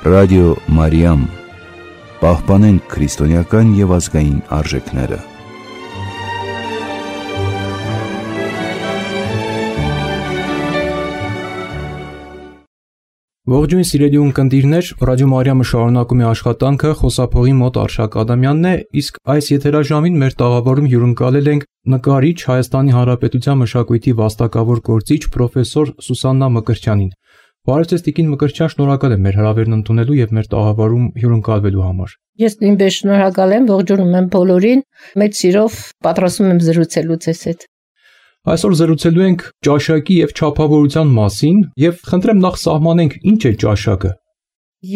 Ռադիո Մարիամ, պահպանենք քրիստոնեական և ազգային արժեքները։ Ողջույն սիրելի ունկնդիրներ, Ռադիո Մարիամը շարունակում է աշխատանքը, խոսափողի մոտ Արշակ Ադամյանն է, իսկ այս եթերաժամին մեր տաղավարում հյուրընկալել ենք նկարիչ, Հայաստանի Հանրապետության մշակույթի վաստակավոր գործիչ պրոֆեսոր Սուսաննա Մկրտչյանին։ Բարև ձեզ տիկին Մկրտչյան, շնորհակալ եմ մեր հրավերն ընդունելու և մեր տաղավարում հյուրընկալվելու համար։ Ես նույնպես շնորհակալ եմ, ողջունում եմ բոլորին, մեծ սիրով պատրաստում եմ զրուցելու ձեզ հետ։ Այսօր զրուցելու ենք ճաշակի և չափավորության մասին և խնդրեմ նախ սահմանենք ինչ է ճաշակը։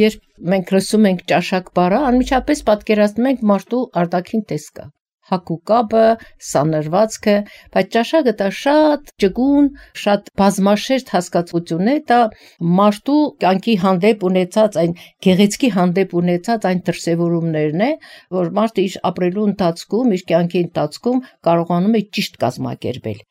Երբ մենք լսում ենք ճաշակ բառը, անմիջապես պատկերացնում ենք մարդու արտաքին տեսքը, հագուկապը, սանրվածքը, բայց ճաշակը դա շատ ճկուն, շատ բազմաշերտ հասկացություն է, դա մարդու կյանքի հանդեպ ունեցած այն գեղեցկի հանդեպ ունեցած այն դրսևորումներն է, որ մարդը իր ապրելու ընթացքում, իր կյանքի ընթացքում կարողանում է ճիշտ կազմակերպել։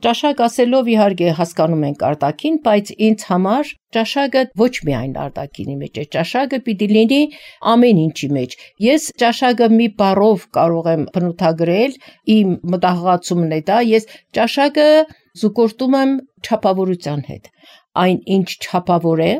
Ճաշակ ասելով իհարկե հասկանում ենք արտաքին, բայց ինձ համար ճաշակը ոչ միայն արտաքինի մեջ է, ճաշակը պիտի լինի ամեն ինչի մեջ։ Ես ճաշակը մի բառով կարող եմ բնութագրել, իմ մտահղացումն է դա, ես ճաշակը զուգորդում եմ չափավորության հետ։ Այն ինչ չափավոր է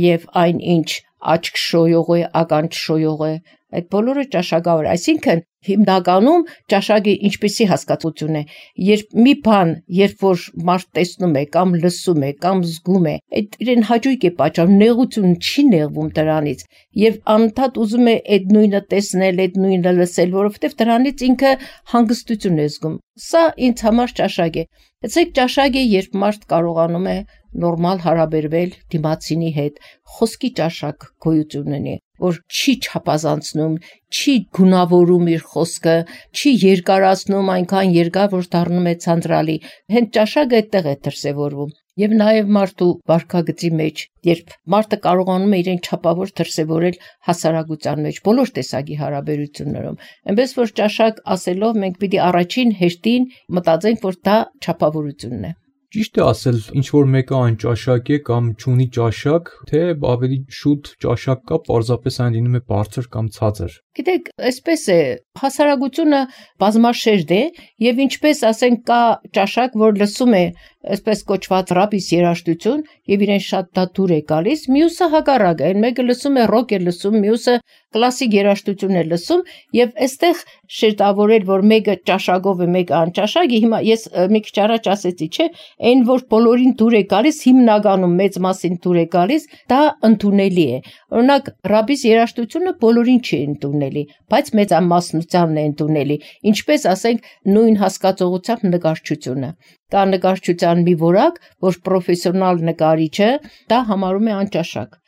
և այն ինչ աչք շոյող է, ականջ շոյող է, այդ բոլորը ճաշակավոր է, այսինքն հիմնականում ճաշակը ինչպիսի հասկացություն է, երբ մի բան, երբ որ մարդ տեսնում է կամ լսում է կամ զգում է, այդ իրեն հաճույք է պատճառում, նեղություն չի նեղվում դրանից եւ անընդհատ ուզում է այդ նույնը տեսնել, այդ նույնը լսել, որովհետեւ դրանից ինքը հանգստություն է զգում։ Սա ինձ համար ճաշակ է։ Այսինքն ճաշակ է, երբ մարդ կարողանում է նորմալ հարաբերվել դիմացինի հետ, խոսքի ճաշակ գոյություն ունի, որ չի չափազանցնում, չի գունավորում իր խոսքը, չի երկարացնում այնքան երկար, որ դառնում է ցանցրալի։ Հենց ճաշակը այդտեղ է դրսևորվում։ Եվ նաև մարդու վարքագծի մեջ, երբ մարդը կարողանում է իրեն չափավոր դրսևորել հասարակության մեջ, բոլոր տեսակի հարաբերություններում, այնպես որ ճաշակ ասելով մենք պիտի առաջին հերթին մտածենք, որ դա չափավորությունն է։ Ճիշտ է ասել, ինչ որ մեկը անճաշակ է կամ չունի ճաշակ, թե ավելի շուտ ճաշակ կա, պարզապես այն լինում է բարձր կամ ցածր։ Գիտեք, այսպես է, հասարակությունը բազմաշերտ է եւ ինչպես ասենք կա ճաշակ, որ լսում է այսպես կոչված ռաբիս երաժշտություն եւ իրեն շատ դա դուր է գալիս, մյուսը հակառակը, այն մեկը լսում է ռոք է լսում, մյուսը կլասիկ երաժշտություն է լսում եւ այստեղ շերտավորել, որ մեկը ճաշակով է, մեկը անճաշակ է, հիմա ես մի քիչ առաջ ասեցի, չէ, այն որ բոլորին դուր է գալիս, հիմնականում մեծ մասին դուր է գալիս, դա ընդունելի է։ Օրինակ ռաբիս երաժշտությունը բոլորին չի ընդունելի, բայց մեծամասնությանն է ընդունելի, ինչպես ասենք նույն հասկացողությամբ նկարչությունը։ Կա նկարչության մի որակ, որ պրոֆեսիոնալ նկարիչը դա համարում է անճաշակ,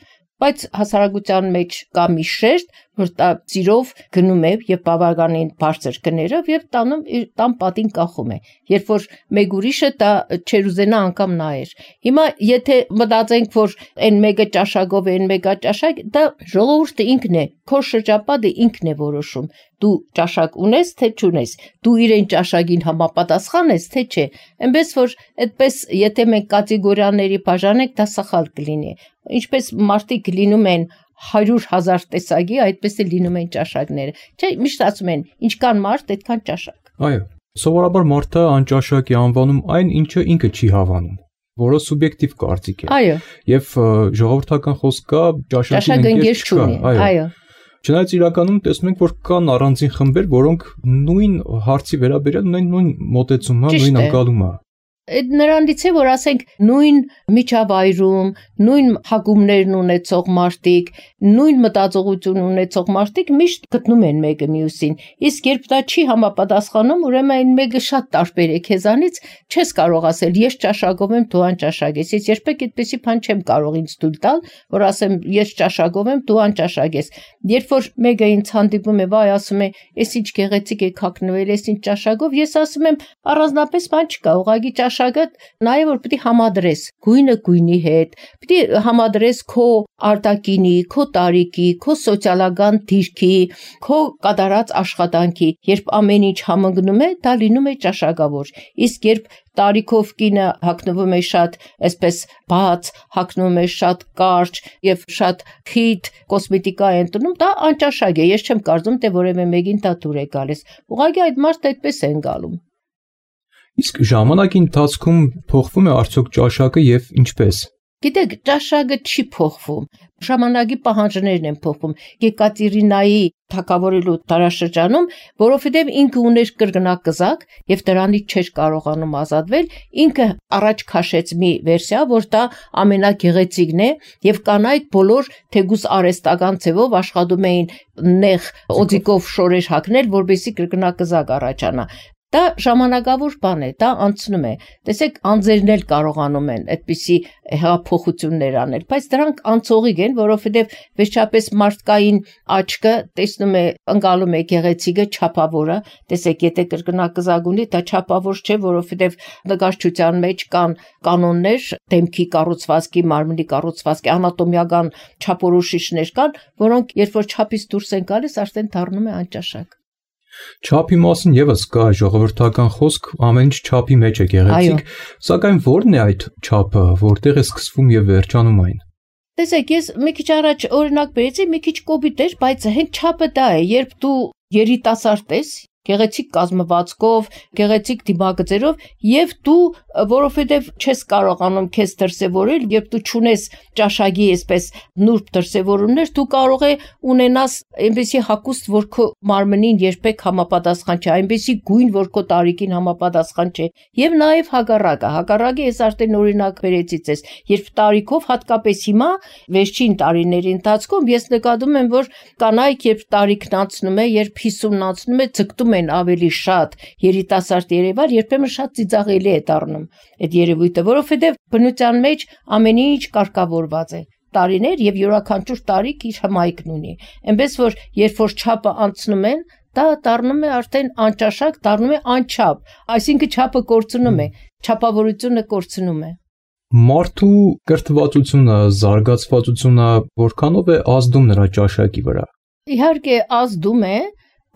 բայց հասարակության մեջ կա մի շերտ, որ դա ծիրով գնում է եւ բավականին բարձր գներով եւ տան պատին կախում է, երբ որ մեկ ուրիշը դա չեր ուզենա անգամ նայեր։ Հիմա եթե մտածենք, որ այն մեկը ճաշակով է, այն մեկը ճաշակ, դա ժողովուրդը ինքն է, քո շրջապատը ինքն է որոշում։ Դու ճաշակ ունես, թե չունես, դու իրեն ճաշակին համապատասխան ես, թե չէ։ Այնպես որ այդպես եթե մենք կատեգորիաների բաժանենք, դա սխալ կլինի։ Ինչպես մարդիկ լինում են 100,000 տեսակի, այդպես է լինում են ճաշակները։ Չէ, միշտ ասում են, ինչքան մարդ, այդքան ճաշակ։ Այո, սովորաբար մարդը անճաշակ է անվանում այն, ինչը ինքը չի հավանում, որը սուբյեկտիվ կարծիք է։ Այո։ Եւ ժողովրդական խոսք կա, ճաշակի ընկեր չկա։ Այո։ Չնայած իրականում տեսնում ենք, որ կան առանձին խմբեր, որոնք նույն հարցի վերաբերյալ ունեն նույն մոտեցումը, նույն ընկալումը։ Այդ նրանից է, որ ասենք նույն միջավայրում, նույն հագումներն ունեցող մարդիկ, նույն մտածողություն ունեցող մարդիկ միշտ գտնում են մեկը մյուսին։ Իսկ երբ դա չի համապատասխանում, ուրեմն այն մեկը շատ տարբեր է քեզանից, չես կարող ասել ես ճաշակով եմ, դու անճաշակ ես։ Ես երբեք այդպեսի բան չեմ կարող ինձ թույլ տալ, որ ասեմ ես ճաշակով եմ, դու անճաշակ ես։ Երբ որ մեկը ինձ հանդիպում է, վայ, ասում է, «Էս ինչ գեղեցիկ է հագնվել, էս ինչ ճաշակով», ես ասում եմ, առանձնապես բան չկա, ուղղակի ճաշակը նայ որ պիտի համադրես գույնը գույնի հետ, Պիտի համադրես քո արտակինի, քո տարիքի, քո սոցիալական դիրքի, քո կատարած աշխատանքի, երբ ամեն ինչ համընկնում է, դա լինում է ճաշակավոր։ Իսկ երբ տարիքով կինը հագնվում է շատ այսպես բաց, հագնվում է շատ կարճ եւ շատ խիտ կոսմետիկա է ընտնում, դա անճաշակ է։ Ես չեմ կարծում, թե որևէ մեկին դա դուր է գալիս։ Ուղղակի այդ մարդը այդպես է ընկալում։ Իսկ ժամանակի ընթացքում փոխվում է արդյոք ճաշակը եւ ինչպես։ Գիտեք, ճաշակը չի փոխվում, ժամանակի պահանջներն են փոխվում։ Եկատերինայի թագավորելու տարաշրջանում, որովհետև ինքը ուներ կրկնակզակ եւ դրանից չէր կարողանում ազատվել, ինքը առաջ քաշեց մի վերսիա, որ դա ամենագեղեցիկն է եւ կանայք բոլոր թեգուս արհեստական ձևով աշխատում էին նեղ օձիկով շորեր հագնել, որպեսզի կրկնակզակ առաջանա։ Դա ժամանակավոր բան է, դա անցնում է։ Տեսեք, անձերն էլ կարողանում են այդպիսի հեղափոխություններ անել, բայց դրանք անցողիկ են, որովհետև վերջապես մարդկային աչքը տեսնում է, ընկալում է գեղեցիկը, չափավորը։ Տեսեք, եթե կրկնակզակ ունի, դա չափավոր չէ, որովհետև նկարչության մեջ կան կանոններ, դեմքի կառուցվածքի, մարմնի կառուցվածքի, անատոմիական չափորոշիչներ կան, որոնք երբ որ չափից դուրս են գալիս, արդեն դառնում է անճաշակ։ Չափի մասին եւս կա ժողովրդական խոսք, ամեն ինչ չափի մեջ է գեղեցիկ, սակայն ո՞րն է այդ չափը, որտեղ է սկսվում եւ վերջանում այն։ Տեսեք, ես մի քիչ առաջ օրինակ բերեցի, մի քիչ կոպիտ էր, բայց հենց չափը դա է, երբ դու երիտասարդ ես, գեղեցիկ կազմվածքով, գեղեցիկ դիմագծերով եւ դու որովհետեւ չես կարողանում քեզ դրսեւորել, երբ դու ճունես ճաշակի այսպես նուրբ դրսեւորումներ, դու կարող է ունենաս այնպեսի հագուստ, որ քո մարմնին երբեք համապատասխան չէ, այնպեսի գույն, որ քո տարիքին համապատասխան չէ, եւ նաեւ հակառակը ես արդեն օրինակ բերեցի ցես, երբ տարիքով հատկապես հիմա վերջին տարիների ընթացքում ես նկատում եմ, որ կանայք երբ տարիքն անցնում է, երբ 50-ն անցնում է, ցկտում են ավելի շատ երիտասարդ երևալ, երբեմն շատ ծիծաղելի է դառնում այդ երևույթը, որովհետև բնության մեջ ամեն ինչ կարգավորված է։ Տարիներ եւ յուրաքանչյուր տարիք իր հմայքն ունի։ Այնպես որ երբ որ չափը անցնում են, դա դառնում է արդեն անճաշակ, դառնում է անչափ, այսինքն չափը կորցնում է, չափավորությունը կորցնում է։ Մարդու կրթվածությունը, զարգացվածությունը որքանով է ազդում նրա ճաշակի վրա։ Իհարկե ազդում է,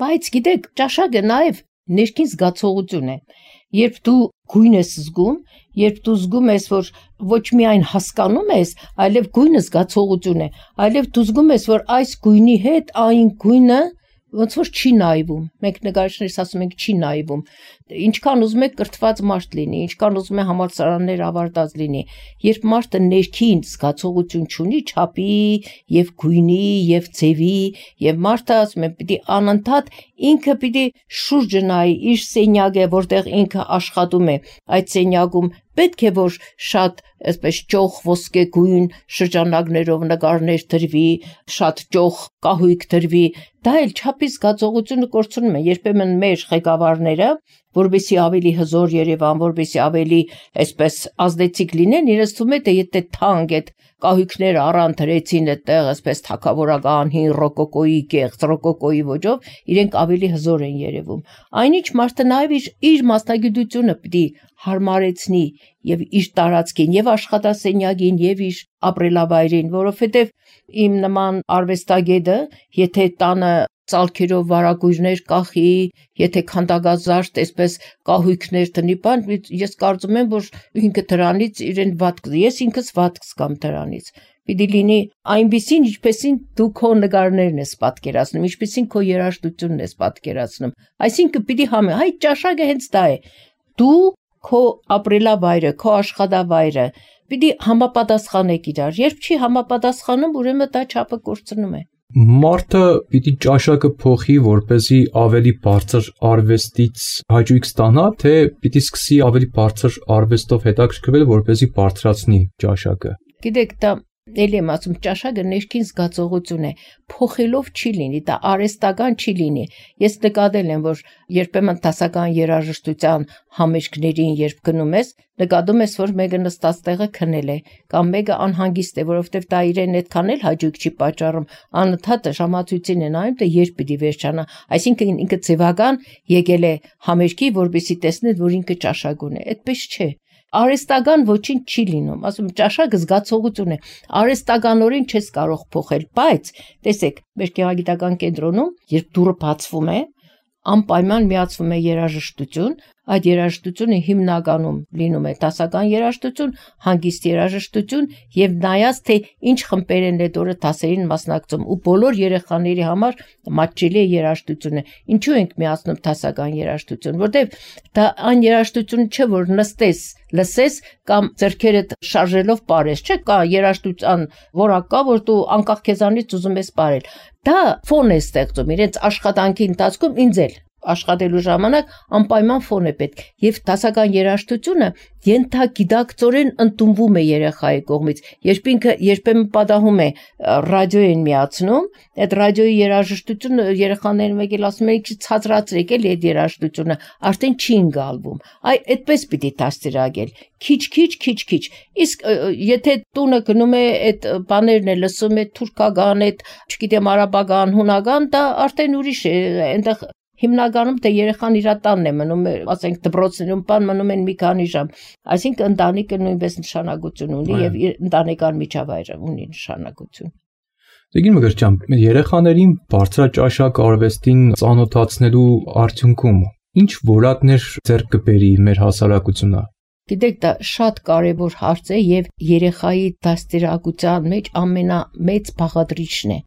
բայց գիտեք, ճաշակը նաև ներքին զգացողություն է։ Երբ դու գույն ես զգում, երբ դու զգում ես, որ ոչ միայն հասկանում ես, այլև գույնը զգացողություն է, այլև դու զգում ես, որ այս գույնի հետ այն գույնը ոնց որ չի նայվում, մենք նկարիչներս ասում ենք չի նայվում, ինչքան ուզում եք կրթված մարդ լինի, ինչքան ուզում է համալսարաններ ավարտած լինի, երբ մարդը ներքին զգացողություն չունի չափի եւ գույնի եւ ձևի եւ մարդը ասում է պիտի անընդհատ ինքը պիտի շուրջը նայի իր սենյակը, որտեղ ինքը աշխատում է, այդ սենյակում պետք է որ շատ այսպես ճոխ ոսկեգույն շրջանակներով նկարներ դրվի, շատ ճոխ կահույք դրվի, դա էլ չափի զգացողությունը կորցնում է, երբեմն մեր ղեկավարները, որովհետեւ ավելի հզոր Երևան, որովհետեւ ավելի այսպես ազդեցիկ լինեն, իրենց թվում է թե եթե թանկ այդ կահույքները առան դրեցին այդտեղ այսպես թակավորական հին ռոկոկոյի կեղծ ռոկոկոյի ոճով, իրենք ավելի հզոր են երևում։ Այնինչ մարդը նաև իր մասնագիտությունը պիտի հարմարեցնի եւ իր տարածքին եւ աշխատասենյակին եւ իր ապրելավայրին, որովհետեւ իմ նման արվեստագետը, եթե տանը ծալքերով վարագույրներ կախի, եթե քանդակազարդ այսպես կահույքներ տնի բան, ես կարծում եմ, որ ինքը դրանից իրեն վատ, ես ինքս վատ կզգամ դրանից։ Պիտի լինի այնպիսին, ինչպեսին դու քո նկարներն ես պատկերացնում, ինչպեսին քո երաժշտությունն ես պատկերացնում։ Այսինքն պիտի հայ ճաշակը հենց դա է։ Դու քո ապրելավայրը, քո աշխատավայրը պիտի համապատասխանեք իրար։ Երբ չի համապատասխանում, ուրեմն դա չափը կորցնում է։ Մարդը պիտի ճաշակը փոխի, որպեսզի ավելի բարձր արվեստից հաճույք ստանա, թե պիտի սկսի ավելի բարձր արվեստով հետաքրքրվել, որպեսզի բարձրացնի ճաշակը։ Գիտեք, դա Էլի եմ ասում, ճաշակը ներքին զգացողություն է, փոխելով չի լինի, դա արհեստական չի լինի։ Ես նկատել եմ, որ երբեմն դասական երաժշտության համերգներին, երբ գնում ես, նկատում ես, որ մեկը նստած տեղը քնել է, կամ մեկը անհանգիստ է, որովհետև դա իրեն այդքան էլ հաճույք չի պատճառում, անընդհատ ժամացույցին է նայում, թե երբ պիտի վերջանա։ Այսինքն ինքը ձևական եկել է համերգի, որպեսզի տեսնել, որ ինքը ճաշակ ունի։ Այդպես չէ։ արհեստական ոչինչ չի լինում, ասում ճաշակը զգացողություն է, արհեստականորեն չես կարող փոխել, բայց տեսեք, մեր գեղագիտական կենտրոնում, երբ դուռը բացվում է, անպայման միացվում է երաժշտություն, այդ երաժշտությունը հիմնականում լինում է դասական երաժշտություն, հանգիստ երաժշտություն եւ նայած թե ինչ խմբերեն այդ օրը դասերին մասնակցում ու բոլոր երեխաների համար մատչելի է երաժշտությունը։ Ինչու ենք միացնում դասական երաժշտություն, որտեւ դա այն երաժշտությունը չէ, որ նստես, լսես կամ ձեռքերդ շարժելով ապարես, չէ՞ կա երաժշտության որակ կա, որ դու անկախ քեզանից ուզում ես ապարել։ Դա ֆոն է ստեղծում իրենց աշխատանքի ընթացքում ինձ էլ աշխատելու ժամանակ անպայման ֆոն է պետք եւ դասական երաժշտությունը ենթագիտակցորեն ընդունվում է երեխայի կողմից երբ ինքը երբեմն պատահում է ռադիո են միացնում այդ ռադիոյի երաժշտությունը երեխաները եկել ասում են ինչ ցածրացրեք էլի այդ երաժշտությունը արդեն չի ընկալվում այդպես պիտի դաստիարակել քիչ իսկ եթե տունը գնում է այդ բաներն է լսում է թուրքական այդ չգիտեմ արաբական հունական դա արդեն ուրիշ է այնտեղ հիմնականում թե երեխան իր տանն է մնում, ասենք դպրոցներում բան մնում են մի քանի ժամ, այսինքն ընտանիքը նույնպես նշանակություն ունի եւ ընտանեկան միջավայրը ունի նշանակություն։ Տեգին Մգրտյան, երեխաներին բարձրաճաշակ արվեստին ծանոթացնելու արդյունքում ինչ որակներ ձեռք կբերի մեր հասարակությունը։ Գիտեք, դա շատ կարևոր հարց է եւ երեխայի դաստիարակության մեջ ամենամեծ բաղադրիչն է։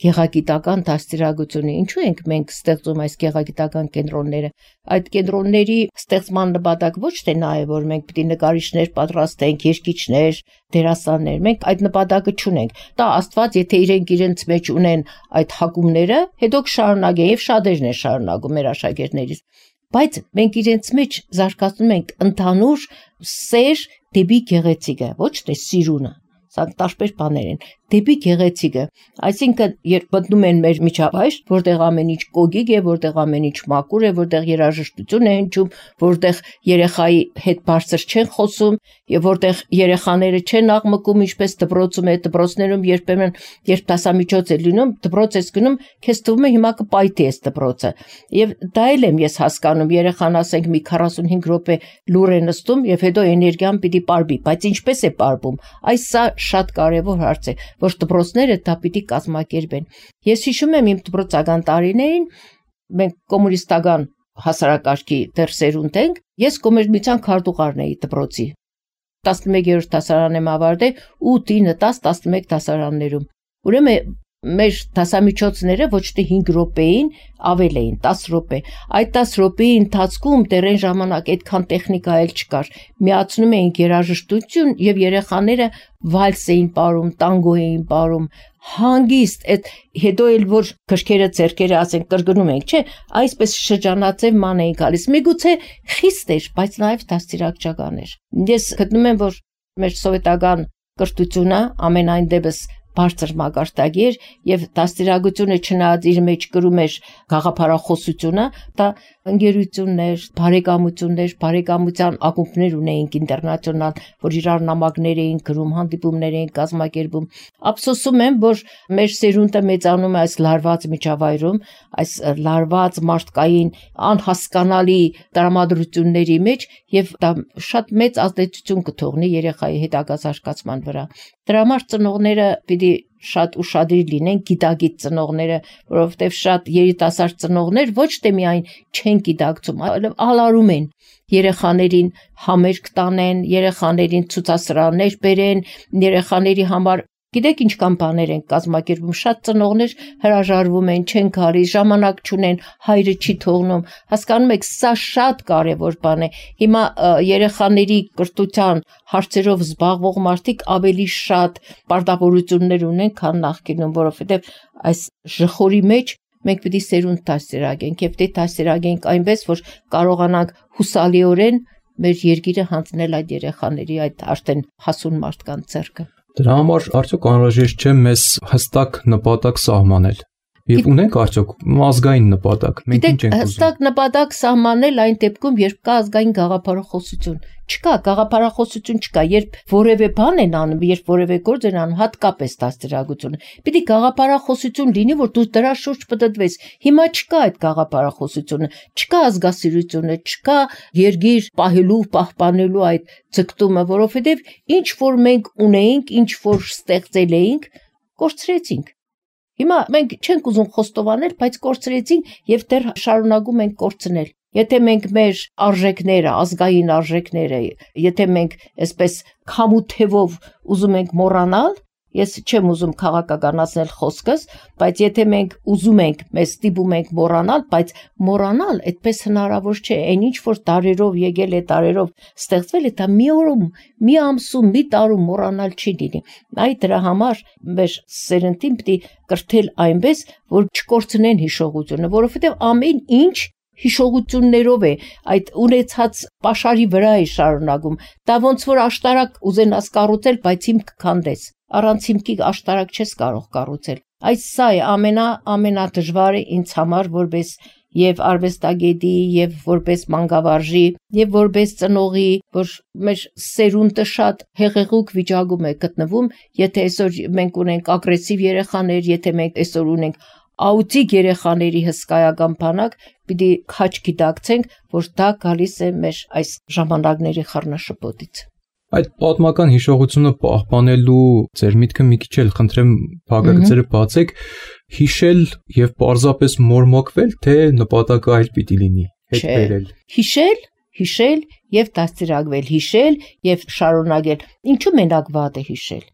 Գեղագիտական դաստիարակությունը ինչու ենք մենք ստեղծում այս գեղագիտական կենտրոնները այդ կենտրոնների ստեղծման նպատակ ոչ թե նա է որ մենք պիտի նկարիչներ պատրաստենք երգիչներ դերասաններ մենք այդ նպատակը չունենք դա Աստված եթե իրենց մեջ ունեն այդ հակումները հետո կշարունակեն եւ շատերն են շարունակում մեր աշակերտներից բայց մենք իրենց մեջ զարգացնում ենք ընդհանուր սեր դեպի գեղեցիկը ոչ թե սիրունը սա տարբեր բաներ են դեպի գեղեցիկը այսինքն երբ մտնում են մեր միջավայր որտեղ ամեն ինչ կոգիկ է որտեղ ամեն ինչ մաքուր է որտեղ երաժշտություն է հնչում որտեղ երեխայի հետ բարձր չեն խոսում եւ որտեղ երեխաները չեն աղմկում ինչպես դպրոցում է դպրոցներում երբեմն երբ դասամիջոց է լինում դպրոց ես գնում քեզ թվում է հիմա կպայթի էս դպրոցը եւ դա էլ եմ ես հասկանում երեխան ասենք մի 45 րոպե լուր է նստում եւ հետո էներգիան պիտի պարբի բայց ինչպես է պարբում այս սա շատ կարեւոր հարց է որ դպրոցները դա պիտի կազմակերպեն։ Ես հիշում եմ իմ դպրոցական տարիներին մենք կոմունիստական հասարակարգի դեռ սերունդ ենք, ես կոմերցիոն քարտուղարն էի դպրոցի 11-րդ դասարան եմ ավարտել 8-9-10-11 դասարաններում։ Ուրեմն մեր դասամիջոցները ոչ թե 5 րոպեին ավել էին 10 րոպե այդ 10 րոպեի ընթացքում դեռ ժամանակ այդքան տեխնիկա էլ չկար միացնում էին երաժշտություն եւ երեխաները վալս էին ապարում տանգո էին ապարում հանգիստ այդ հետո էլ որ քրքերը ձերքերը ասենք կրկնում ենք չէ այսպես շրջանաձև ման էին գալիս միգուցե խիստ էր բայց նաեւ դաստիարակչական էր ես գտնում եմ որ մեր սովետական կրթությունը ամենայն դեպս բարձր մակարդակի էր եւ դաստիարակությունը չնայած իր մեջ կրում էր գաղափարախոսությունը դա ընկերություններ բարեկամություններ բարեկամության ակումբներ ունեինք ինտերնացիոնալ որ իրար նամակներ էին գրում հանդիպումներ էին կազմակերպում ափսոսում եմ որ մեր սերունդը մեծանում է այս լարված միջավայրում այս լարված մարդկային անհասկանալի տրամադրությունների մեջ եւ դա շատ մեծ ազդեցություն կթողնի երեխայի հետագա զարգացման վրա դրա համար ծնողները պիտի շատ ուշադիր լինեն գիտագիտ ծնողները, որովհետև շատ երիտասարդ ծնողներ ոչ թե միայն չեն գիտակցում, այլ ալարում են երեխաներին համերգ տանեն, երեխաներին ցուցասրահներ բերեն, երեխաների համար Գիտեք ինչքան բաներ են կազմակերպում, շատ ծնողներ հրաժարվում են, չեն գալի, ժամանակ չունեն, հայրը չի թողնում։ Հասկանում եք, սա շատ կարևոր բան է։ Հիմա երեխաների կրթության հարցերով զբաղվող մարդիկ ավելի շատ պարտավորություններ ունեն, քան նախկինում, որովհետև այս ժխորի մեջ մենք պիտի սերունդ դաստիարակենք, եւ դե դաստիարակենք այնպես, որ կարողանանք հուսալիորեն մեր երկիրը հանձնել այդ երեխաների, այդ արդեն հասուն մարդկանց ձեռքը։ Դրա համար արդյոք անհրաժեշտ չէ մեզ հստակ նպատակ սահմանել։ Եվ ունենք արդյոք ազգային նպատակ։ Մենք ինչ ենք ուզում։ Հստակ նպատակ սահմանել այն դեպքում, երբ կա ազգային գաղափարախոսություն։ Չկա գաղափարախոսություն չկա, երբ որևէ բան են անում, երբ որևէ գործ են անում, հատկապես դաստիարակությունը։ Պիտի գաղափարախոսություն լինի, որ դու դրա շուրջ պտտվես։ Հիմա չկա այդ գաղափարախոսությունը, չկա ազգասիրությունը, չկա երգիր պահելու, պահպանելու այդ ձգտումը, որովհետև ինչ որ մենք ունեինք, ինչ որ ստեղծել էինք, կորցրեցինք։ Հիմա մենք չենք ուզում խոստովանել, բայց կորցրեցինք եւ դեռ շարունակում ենք կորցնել։ Եթե մենք մեր արժեքները, ազգային արժեքները, եթե մենք այսպես քամութևով ուզում ենք մոռանալ, ես չեմ ուզում քաղաքականացնել խոսքս, բայց եթե մենք ուզում ենք, մեզ ստիպում ենք մոռանալ, բայց մոռանալ այդպես հնարավոր չէ, այն ինչ որ տարերով եկել է, տարերով ստեղծվել է, դա մի օրում, մի ամսում, մի տարում մոռանալ չի լինի։ Այ դրա համար մեր սերնդին պիտի կրթել այնպես, որ չկորցնեն հիշողությունը, որովհետև ամեն ինչ հիշողություններով է, այդ ունեցած պաշարի վրա է շարունակում։ Դա ոնց որ աշտարակ ուզենաս կառուցել, բայց հիմք քանդես։ Առանց հիմքի աշտարակ չես կարող կառուցել։ Այս սա է ամենադժվարը ինձ համար որպես եւ արվեստագետի եւ որպես մանկավարժի եւ որպես ծնողի, որ մեր սերունդը շատ հեղեղուկ վիճակում է գտնվում, եթե այսօր մենք ունենք ագրեսիվ երեխաներ, եթե մենք այսօր ունենք աուտիկ երեխաների հսկայական բանակ, պիտի քաչ գիտակցենք, որ դա գալիս է մեր այս ժամանակների խառնաշփոթից։ Այդ պատմական հիշողությունը պահպանելու ձեր միտքը մի քիչ էլ խնդրեմ փակագծերը բացեք, հիշել եւ պարզապես մորմոկվել, թե նպատակը այլ պիտի լինի, հետ բերել։ Հիշել եւ դաստիարակվել, հիշել եւ շարունակել։ Ինչու մենակ վատ է հիշել։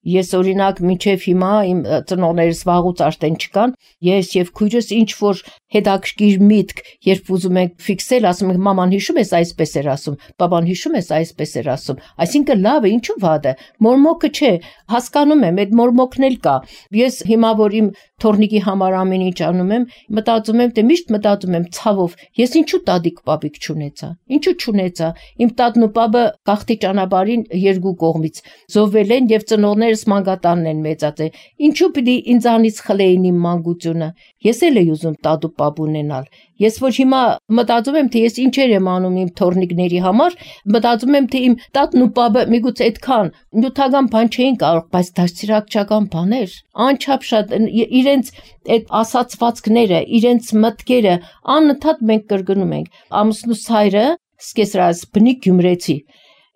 Ես օրինակ մինչև հիմա իմ ծնողներս վաղուց արդեն չկան, ես եւ քույրս ինչ որ հետաքրքիր միտք, երբ ուզում ենք ֆիքսել, ասում ենք մաման հիշում ես այսպես էր ասում, բաբան հիշում ես այսպես էր ասում, այսինքն լավ է, ինչու վատ է, մորմոկը չէ, հասկանում եմ, այդ մորմոկն էլ կա։ Ես հիմա որ իմ թորնիկի համար ամեն ինչ անում եմ, մտածում եմ, միշտ մտածում եմ ցավով, ես ինչու տատիկ պապիկ չունեցա, ինչու չունեցա, իմ տատն ու պապը գաղթի ճանապարհին երկու կողմից զոհվել են եւ ծնողներս մանկատանն են մեծացել, ինչու պիտի ինձանից խլեին իմ մանկությունը, ես էլ եի ուզում տատ ու պապ ունենալ, ես որ հիմա մտածում եմ, թե ես ինչեր եմ անում իմ թորնիկների համար, մտածում եմ, թե իմ տատն ու պապը միգուցե այդքան նյութական բան չէին կարող, բայց դաստիարակչական բաներ, անչափ շատ իրենց այդ ասացվածքները, իրենց մտքերը անընդհատ մենք կրկնում ենք։ Ամուսնուս հայրը սկեսրած բնիկ գյումրեցի,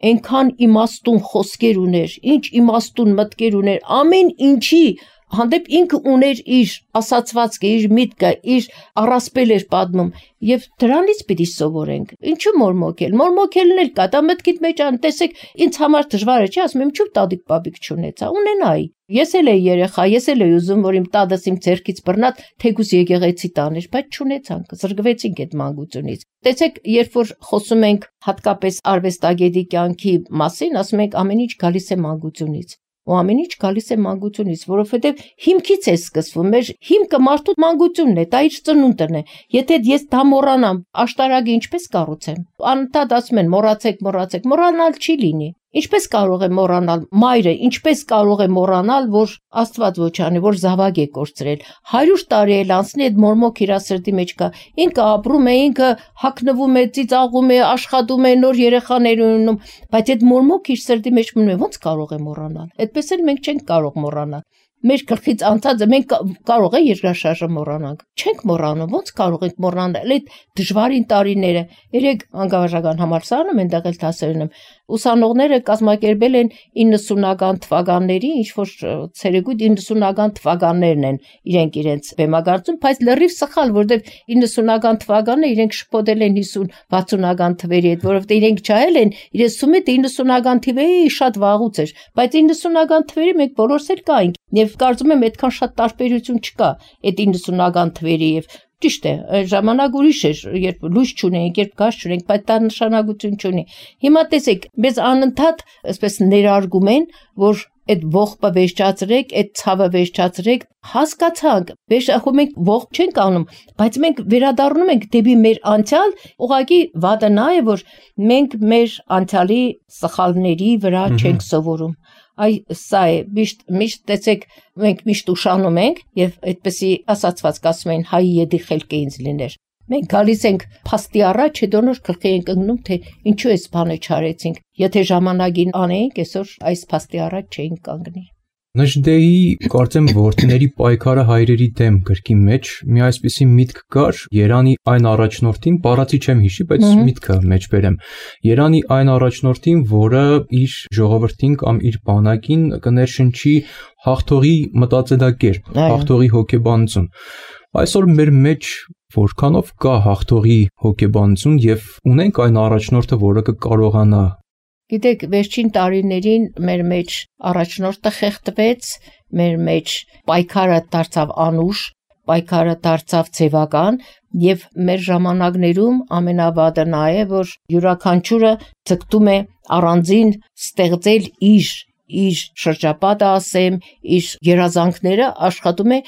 այնքան իմաստուն խոսքեր ուներ, ինչ իմաստուն մտքեր ուներ, ամեն ինչի հանդեպ ինքը ուներ իր ասացվածքը, իր միտքը, իր առասպել էր պատմում եւ դրանից պիտի սովորենք։ Ինչու մորմոկել։ Մորմոկելն էլ կա, դա մտքիդ մեջ ան, տեսեք, ինձ համար դժվար է, չի ասում եմ, ինչու տատիկ պապիկ չունեցա, ունենայի։ Ես էլ էի երեխա, ես էլ էի ուզում, որ իմ տատս իմ ձեռքից բռնա, թեկուզ եկեղեցի տաներ, բայց չունեցանք, զրկվեցինք այդ մանկությունից։ Տեսեք, երբ որ խոսում ենք հատկապես արվեստագետի կյանքի մասին, ասում ենք ամեն ինչ գալիս է մանկությունից։ Ու ամեն ինչ գալիս է մանկությունից, որովհետև հիմքից է սկսվում, մեր հիմքը մարդու մանկությունն է, դա իր ծնունդն է։ Եթե ես դա մոռանամ, աշտարակը ինչպես կառուցեմ։ Անընդհատ ասում են մոռացեք, մոռանալ չի լինի։ Ինչպես կարող է մոռանալ մայրը, ինչպես կարող է մոռանալ, որ Աստված ոչ անի, որ զավակ է կորցրել։ 100 տարի էլ անցնի այդ մորմոք իր սրտի մեջ կա։ Ինքը ապրում է, ինքը հագնվում է, ծիծաղում է, աշխատում է, նոր երեխաներ ունում, բայց այդ մորմոք իր սրտի մեջ մնում է, ո՞նց կարող է մոռանալ։ Այդպես էլ մենք չենք կարող մոռանալ։ Մեր գլխից անցածը մենք կարող է երկրաշարժը մոռանանք։ Չենք մոռանում, ո՞նց կարող ենք մոռանալ այդ դժվարին տարիները։ Երեք անկախական համալսարանում այնտեղ էլ դասերն եմ։ Ուսանողները կազմակերպել են 90-ական թվականների, ինչ որ ցերեկույթ 90-ական թվականներն են իրենք բեմագործում, բայց լրիվ սխալ, որովհետև 90-ական թվականները իրենք շփոթել են 50-60-ական թվերի հետ, որովհետև իրենք չայել են, իրենց սում է 90-ական թվերի շատ վաղուց էր, բայց 90-ական թվերի մենք բոլորս էլ կայինք եւ կարծում եմ այդքան շատ տարբերություն չկա այդ 90-ական թվերի եւ ճիշտ է, ժամանակ ուրիշ էր, երբ լույս չունենք, երբ գազ չունենք, բայց դա նշանակություն չունի։ Հիմա տեսեք, մեզ անընդհատ այսպես ներարգում են, որ այդ ողբը վերջացրեք, այդ ցավը վերջացրեք, հասկացանք, մենք ողբ չենք անում, բայց մենք վերադառնում ենք դեպի մեր անցյալ, ուղղակի վատը նա է, որ մենք մեր անցյալի սխալների վրա չենք սովորում։ Այ սա է, միշտ տեսեք, մենք միշտ ուշանում ենք եւ այդպեսի ասացված կասում են հայի եդի խելքը ինձ լիներ։ Մենք գալիս ենք փաստի առաջ, հետո նոր գլխի ենք ընկնում, թե ինչու էս բանը չարեցինք։ Եթե ժամանակին անեինք, այսօր այս փաստի առաջ չէինք կանգնի։ Նժդեի կարծեմ որդիների պայքարը հայրերի դեմ գրքի մեջ մի այսպիսի միտք կար Երանի այն առաջնորդին, բառացի չեմ հիշի, բայց միտքը մեջ բերեմ։ Երանի այն առաջնորդին, որը իր ժողովրդին կամ իր բանակին կներշնչի հաղթողի մտածելակերպ, հաղթողի հոգեբանություն։ Այսօր մեր մեջ որքանով կա հաղթողի հոգեբանություն եւ ունենք այն առաջնորդը, որը կկարողանա։ Գիտեք, վերջին տարիներին մեր մեջ առաջնորդը խեղդվեց, մեր մեջ պայքարը դարձավ անուշ, պայքարը դարձավ ձևական եւ մեր ժամանակներում ամենավատը նա է, որ յուրաքանչյուրը ցկտում է առանձին ստեղծել իր շրջապատը, ասեմ, իր երազանքները աշխատում է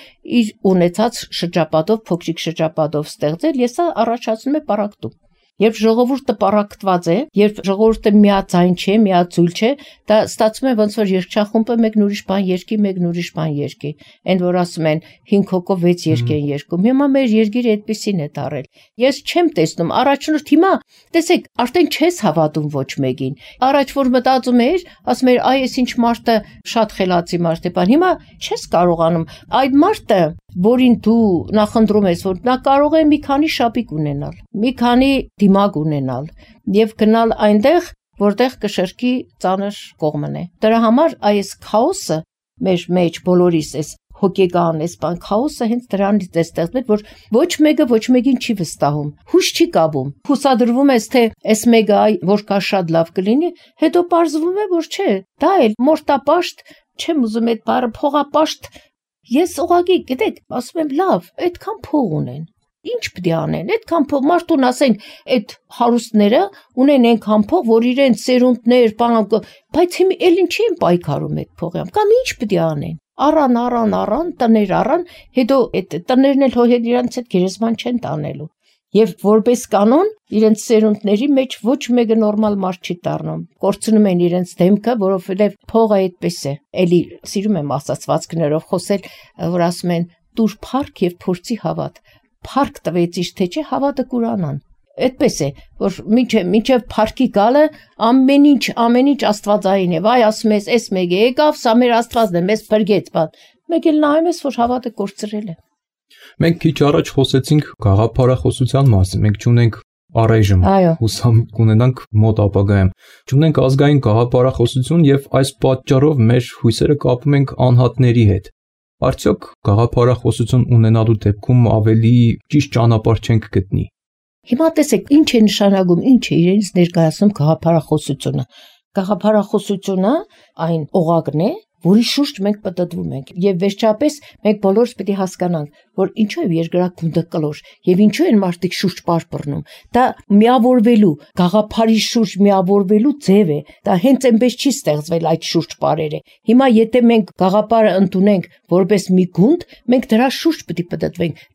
իր ունեցած շրջապատով, փոքրիկ շրջապատով ստեղծել, եւ սա առաջացնում է պարակտում։ Երբ ժողովուրդը պարակտված է, երբ ժողովուրդը միաձայն չէ, միաձուլ չէ, դա ստացվում է ոնց որ երգչախումբը մեկն ուրիշ բան երգի, մեկն ուրիշ բան երգի։ Այն որ ասում են 5 հոգով 6 երգ են երգում։ Հիմա մեր երգիրը այդպեսին է դարել։ Ես չեմ տեսնում առաջնորդ հիմա, տեսեք, արդեն չես հավատում ոչ մեկին։ Առաջ որ մտածում էիր, ասում էիր, այ այս ինչ մարդը շատ խելացի մարդ է, բան հիմա չես կարողանում։ Այդ մարդը, որին դու նախընտրում ես, որ նա կարող է մի քանի շապիկ ունենալ, մի քանի դիմակ ունենալ եւ գնալ այնտեղ, որտեղ կշերքի ծանր կողմն է։ Դրա համար այս քաոսը մեր մեջ բոլորիս էս հոգեկան էս բան քաոսը հենց դրանից է ստեղծվել, որ ոչ մեկը ոչ մեկին չի վստահում, հույս չի կապում։ Հուսադրվում ես, թե այս մեկը որ կա շատ լավ կլինի, հետո պարզվում է, որ չէ, դա էլ մորտապաշտ, չեմ ուզում այդ բառը փողապաշտ։ Ես ուղղակի, գիտեք, ասում եմ լավ, այդքան փող ունեն։ Ինչ պետք է անեն։ Այդքան փող մարդուն ասենք, այդ հարուստները ունեն այնքան փող, որ իրենց սերունդներ, բանակ, բայց հիմա էլ ինչի են պայքարում այդ փողը։ Կամ ինչ պետք է անեն։ Առան, տներ առան, հետո այդ տներն էլ հո հետ իրանց հետ գերեզման չեն տանելու։ Եվ որպես կանոն իրենց սերունդների մեջ ոչ մեկը նորմալ մարդ չի դառնում։ Կորցնում են իրենց դեմքը, որովհետև փողը այդպես է։ Էլի սիրում եմ ասացվածքներով խոսել, որ ասում են՝ «Տուր փառք եւ փորձի հավատ»։ Փառք տվեցիշ թե չէ հավատը կուրանան։ Այդպես է, որ մինչև փառքի գալը ամեն ինչ աստվածային է։ Վայ ասում ես, էս մեկը եկավ, սա մեր աստվածն է, մեզ փրկեց, բան։ Մեկ էլ նայում ես, որ հավատը կորցրել է։ Մենք քիչ առաջ խոսեցինք գաղափարախոսության մասին, մենք չունենք առայժմ, հուսամ կունենանք մոտ ապագայում, չունենք ազգային գաղափարախոսություն եւ այս պատճառով մեր հույսերը կապում ենք անհատների հետ։ Արդյոք գաղափարախոսություն ունենալու դեպքում ավելի ճիշտ ճանապարհ չենք գտնի։ Հիմա տեսեք, ինչ է նշանակում, ինչ է իրենից ներկայացնում գաղափարախոսությունը։ Գաղափարախոսությունը այն օղակն է, որի շուրջ մենք պտտվում ենք, եւ վերջապես մենք բոլորս պետք է հասկանանք, որ ինչու է երկրագունդը կլոր եւ ինչու են մարդիկ շուրջ պարպռնում։ Դա միավորվելու, գաղափարի շուրջ միավորվելու ձև է։ Դա հենց այնպես չի ստեղծվել այդ շուրջ պարերը։ Հիմա եթե մենք գաղափարը ընդունենք որպես մի գունդ, մենք դրա շուրջ պետք է պտտվենք,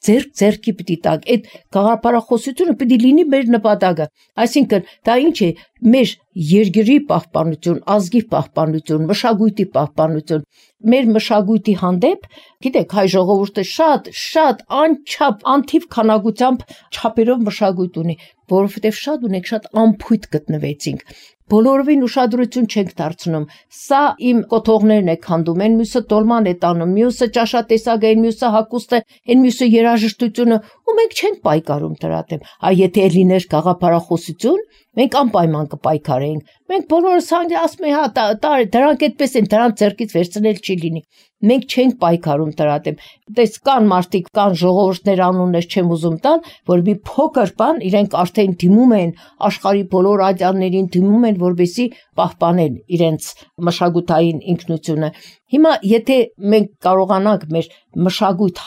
ձեռքի պետք է տակ։ Այդ գաղափարախոսությունը պետք է լինի մեր նպատակը։ Այսինքն դա ինչ է, մեր երկրի պահպանություն, ազգի պահպանություն, մշակույթի պահպանություն, մեր մշակույթի հանդեպ, գիտեք, հայ ժողովուրդը շատ անչափ անթիվ քանակությամբ չափերով մշակույթ ունի, որովհետև շատ ունենք, շատ անփույթ գտնվեցինք։ Բոլորովին ուշադրություն չենք դարձնում։ Սա իմ կոթողներն է քանդում, այն մյուսը տոլման է տանում, մյուսը ճաշատեսակ է, մյուսը հագուստ է, այն մյուսը երաժշտությունը, ու մենք չենք պայքարում դրա դեմ։ Այ եթե լիներ գաղափարախոսություն, մենք անպայման կպայքարեինք։ Մենք բոլորս ասում ենք, հա, դրանք այդպես են, դրանք ձեռքից վերցնել չի լինի։ Մենք չենք պայքարում դրա դեմ։ Տես կան մարդիկ, կան ժողովուրդներ անուններ չեմ ուզում տալ, որ մի փոքր բան իրենք արդեն դիմում են աշխարհի բոլոր ադյաններին դիմում են, որպեսզի պահպանեն իրենց մշակութային ինքնությունը։ Հիմա եթե մենք կարողանանք մեր մշակույթ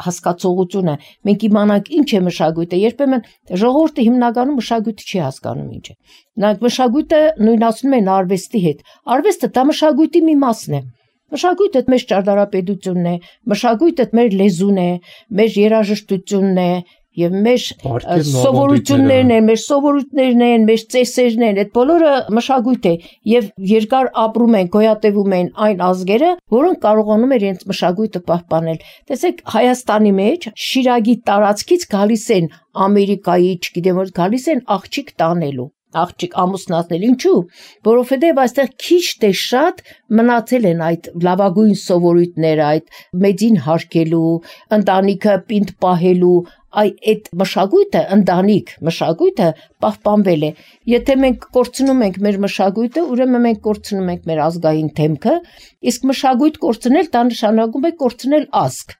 հասկացողությունը, մենք իմանանք ինչ է մշակույթը, երբեմն ժողովուրդը հիմնականում մշակույթը չի հասկանում ինչ է։ Նրանք մշակույթը նույնացնում են արվեստի հետ։ Արվեստը դա մշակույթի մի մասն է։ Մշակույթը մեր ճարտարապետությունն է, մշակույթը մեր լեզուն է, մեր երաժշտությունն է, եւ մեր սովորություններն են, մեր սովորույթներն են, մեր ծեսերն են, այդ բոլորը մշակույթ է եւ երկար ապրում են, գոյատևում են այն ազգերը, որոնք կարողանում են իրենց մշակույթը պահպանել։ Տեսեք, Հայաստանի մեջ Շիրակի տարածքից գալիս են Ամերիկայի, չգիտեմ որ գալիս են աղջիկ տանելու, աղջիկ ամուսնացնել, ինչու՞, որովհետև այստեղ քիչ թե շատ մնացել են այդ լավագույն սովորույթները, այդ մեծին հարգելու, ընտանիքը պինդ պահելու, այդ մշակույթը, ընտանիք մշակույթը պահպանվել է։ Եթե մենք կորցնում ենք մեր մշակույթը, ուրեմն մենք կորցնում ենք մեր ազգային թեմքը, իսկ մշակույթ կորցնել դա նշանակում է կորցնել ազգ,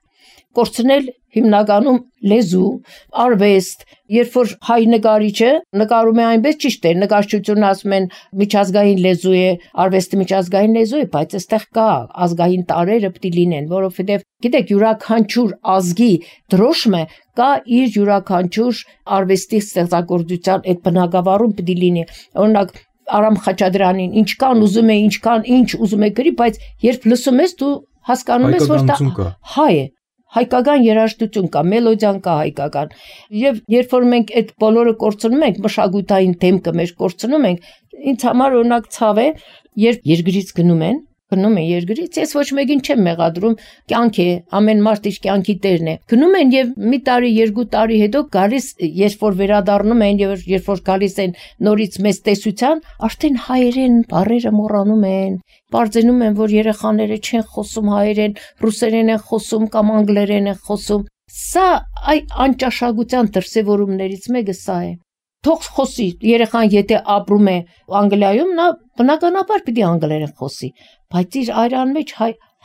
կորցնել հիմնականում լեզու, արվեստ, երբ որ հայ նկարիչը նկարում է այնպես ճիշտ է, նկարչությունը ասում են միջազգային լեզու է, արվեստը միջազգային լեզու է, բայց այստեղ կա ազգային տարրերը պետք է լինեն, որովհետև գիտեք յուրաքանչյուր ազգի դրոշմը կա իր յուրաքանչյուր արվեստի ստեղծագործության այդ բնագավառում պետք է լինի։ Օրինակ Արամ Խաչատրյանին ինչքան ուզում է, ինչքան ինչ ուզում է գրի, բայց երբ լսում ես դու հասկանում ես, որ դա հայ է։ Հայկական երաժշտություն կա, մելոդիան կա հայկական։ Եվ երբ որ մենք այդ բոլորը կորցնում ենք, մշակութային թեմքը մեր կորցնում ենք, ինձ համար օրինակ ցավ է, երբ երկրից գնում են երկրից, ես ոչ մեկին չեմ մեղադրում, կյանք է, ամեն մարդ իր կյանքի տերն է։ Գնում են եւ մի տարի, երկու տարի հետո գալիս, երբ որ վերադառնում են եւ երբ որ գալիս են նորից մեծ տեսության, արդեն հայերեն բառերը մոռանում են։ Բարձենում են, որ երեխաները չեն խոսում հայերեն, ռուսերեն են խոսում կամ անգլերեն են խոսում։ Սա անճաշակության դրսևորումներից մեկը սա է։ Թող խոսի, երեխան եթե ապրում է Անգլիայում, նա բնականաբար պիտի անգլերեն խոսի, բայց իր այրան մեջ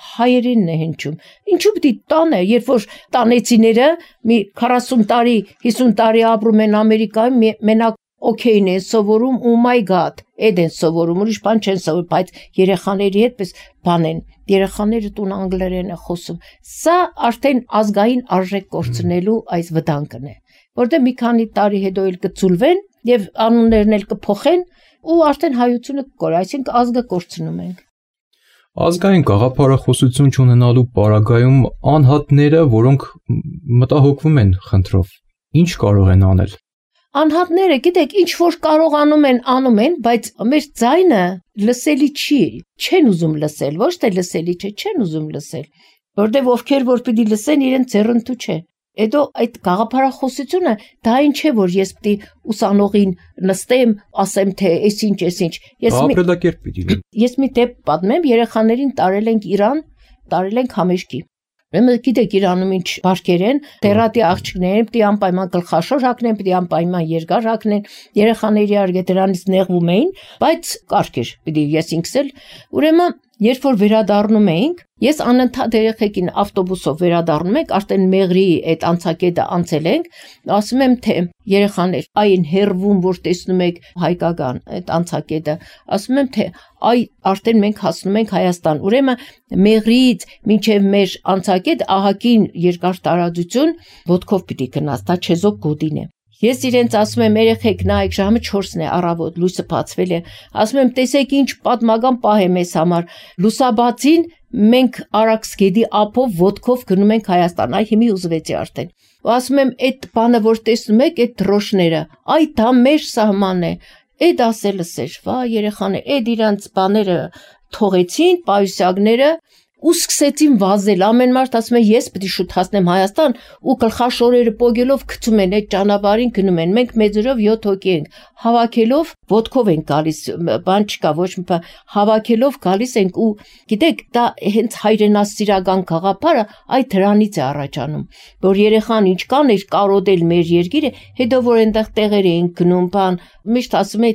հայերենն է հնչում։ Ինչու պիտի տանը, երբ որ տանեցիները մի 40 տարի, 50 տարի ապրում են Ամերիկայում, մենակ օքեյն են սովորում, oh my god, այդ են սովորում, ուրիշ բան չեն սովորում, բայց երեխաների հետպես բան են, երեխաները տուն անգլերեն են խոսում։ Սա արդեն ազգային արժեք կորցնելու այս վտանգն է, որտեղ մի քանի տարի հետո էլ կծուլվեն եւ անուններն էլ կփոխեն ու արդեն հայությունը կկորի, այսինքն ազգը կորցնում ենք։ Ազգային գաղափարախոսություն չունենալու պարագայում անհատները, որոնք մտահոգվում են խնդրով, ինչ կարող են անել։ Անհատները, գիտեք, ինչ որ կարողանում են, անում են, բայց մեր ձայնը լսելի չի, չեն ուզում լսել, ոչ թե լսելի չէ, չեն ուզում լսել, որտեղ ովքեր որ պիտի լսեն, իրենց ձեռնտու չէ։ Հետո այդ գաղափարախոսությունը դա այն չէ, որ ես պիտի ուսանողին նստեմ, ասեմ թե այսինչ։ Ապրելակերպ պիտի լինի։ Ես մի դեպք պատմեմ, երեխաներին տարել ենք Իրան, տարել ենք համեշկի։ Ուրեմն գիտեք Իրանում ինչ բարգեր են, դերատի աղջիկներին պիտի անպայման գլխաշոր հագնեն, պիտի անպայման երկար հագնեն, երեխաների արգե դրանից նեղվում էին, բայց կարգ էր, պիտի ես ինքս էլ։ Ուրեմն երբ որ վերադառնում էինք, ես անընդհատ երեխեքին ավտոբուսով վերադառնում ենք, արդեն Մեղրի այդ անցակետը անցել ենք, ասում եմ թե երեխաներ, այն հերվում, որ տեսնում եք հայկական այդ անցակետը, ասում եմ թե այ արդեն մենք հասնում ենք Հայաստան, ուրեմն Մեղրիից մինչև մեր անցակետ ահագին երկար տարածություն ոտքով պիտի գնաս, դա չեզոք գոտին է։ Ես իրենց ասում եմ երեխեք նայեք ժամը 4-ն է առավոտ լույսը բացվել է ասում եմ տեսեք ինչ պատմական պահ է մեզ համար լուսաբացին մենք Արաքսգետի ափով ոտքով գնում ենք Հայաստան այ հիմի ուզվեցի արդեն ու ասում եմ այդ բանը որ տեսնում եք այդ դրոշները այ դա մեր սահմանն է այդ ասելս էր վա երեխաներ այդ իրանց բաները թողեցին պայուսակները ու սկսեցին վազել ամեն մարդ ասում է ես պետք է շուտ հասնեմ Հայաստան ու գլխաշորերը պոգելով գցում են այդ ճանապարհին գնում են մենք մեծերով 7 հոգի ենք հավաքելով ոտքով են գալիս բան չկա ոչ մի բան հավաքելով գալիս ենք ու գիտեք դա հենց հայրենասիրական գաղափարը այդ դրանից է առաջանում որ երեխան ինչքան էր կարոտել մեր երկիրը հետո որ այնտեղ տեղեր էին գնում բան միշտ ասում է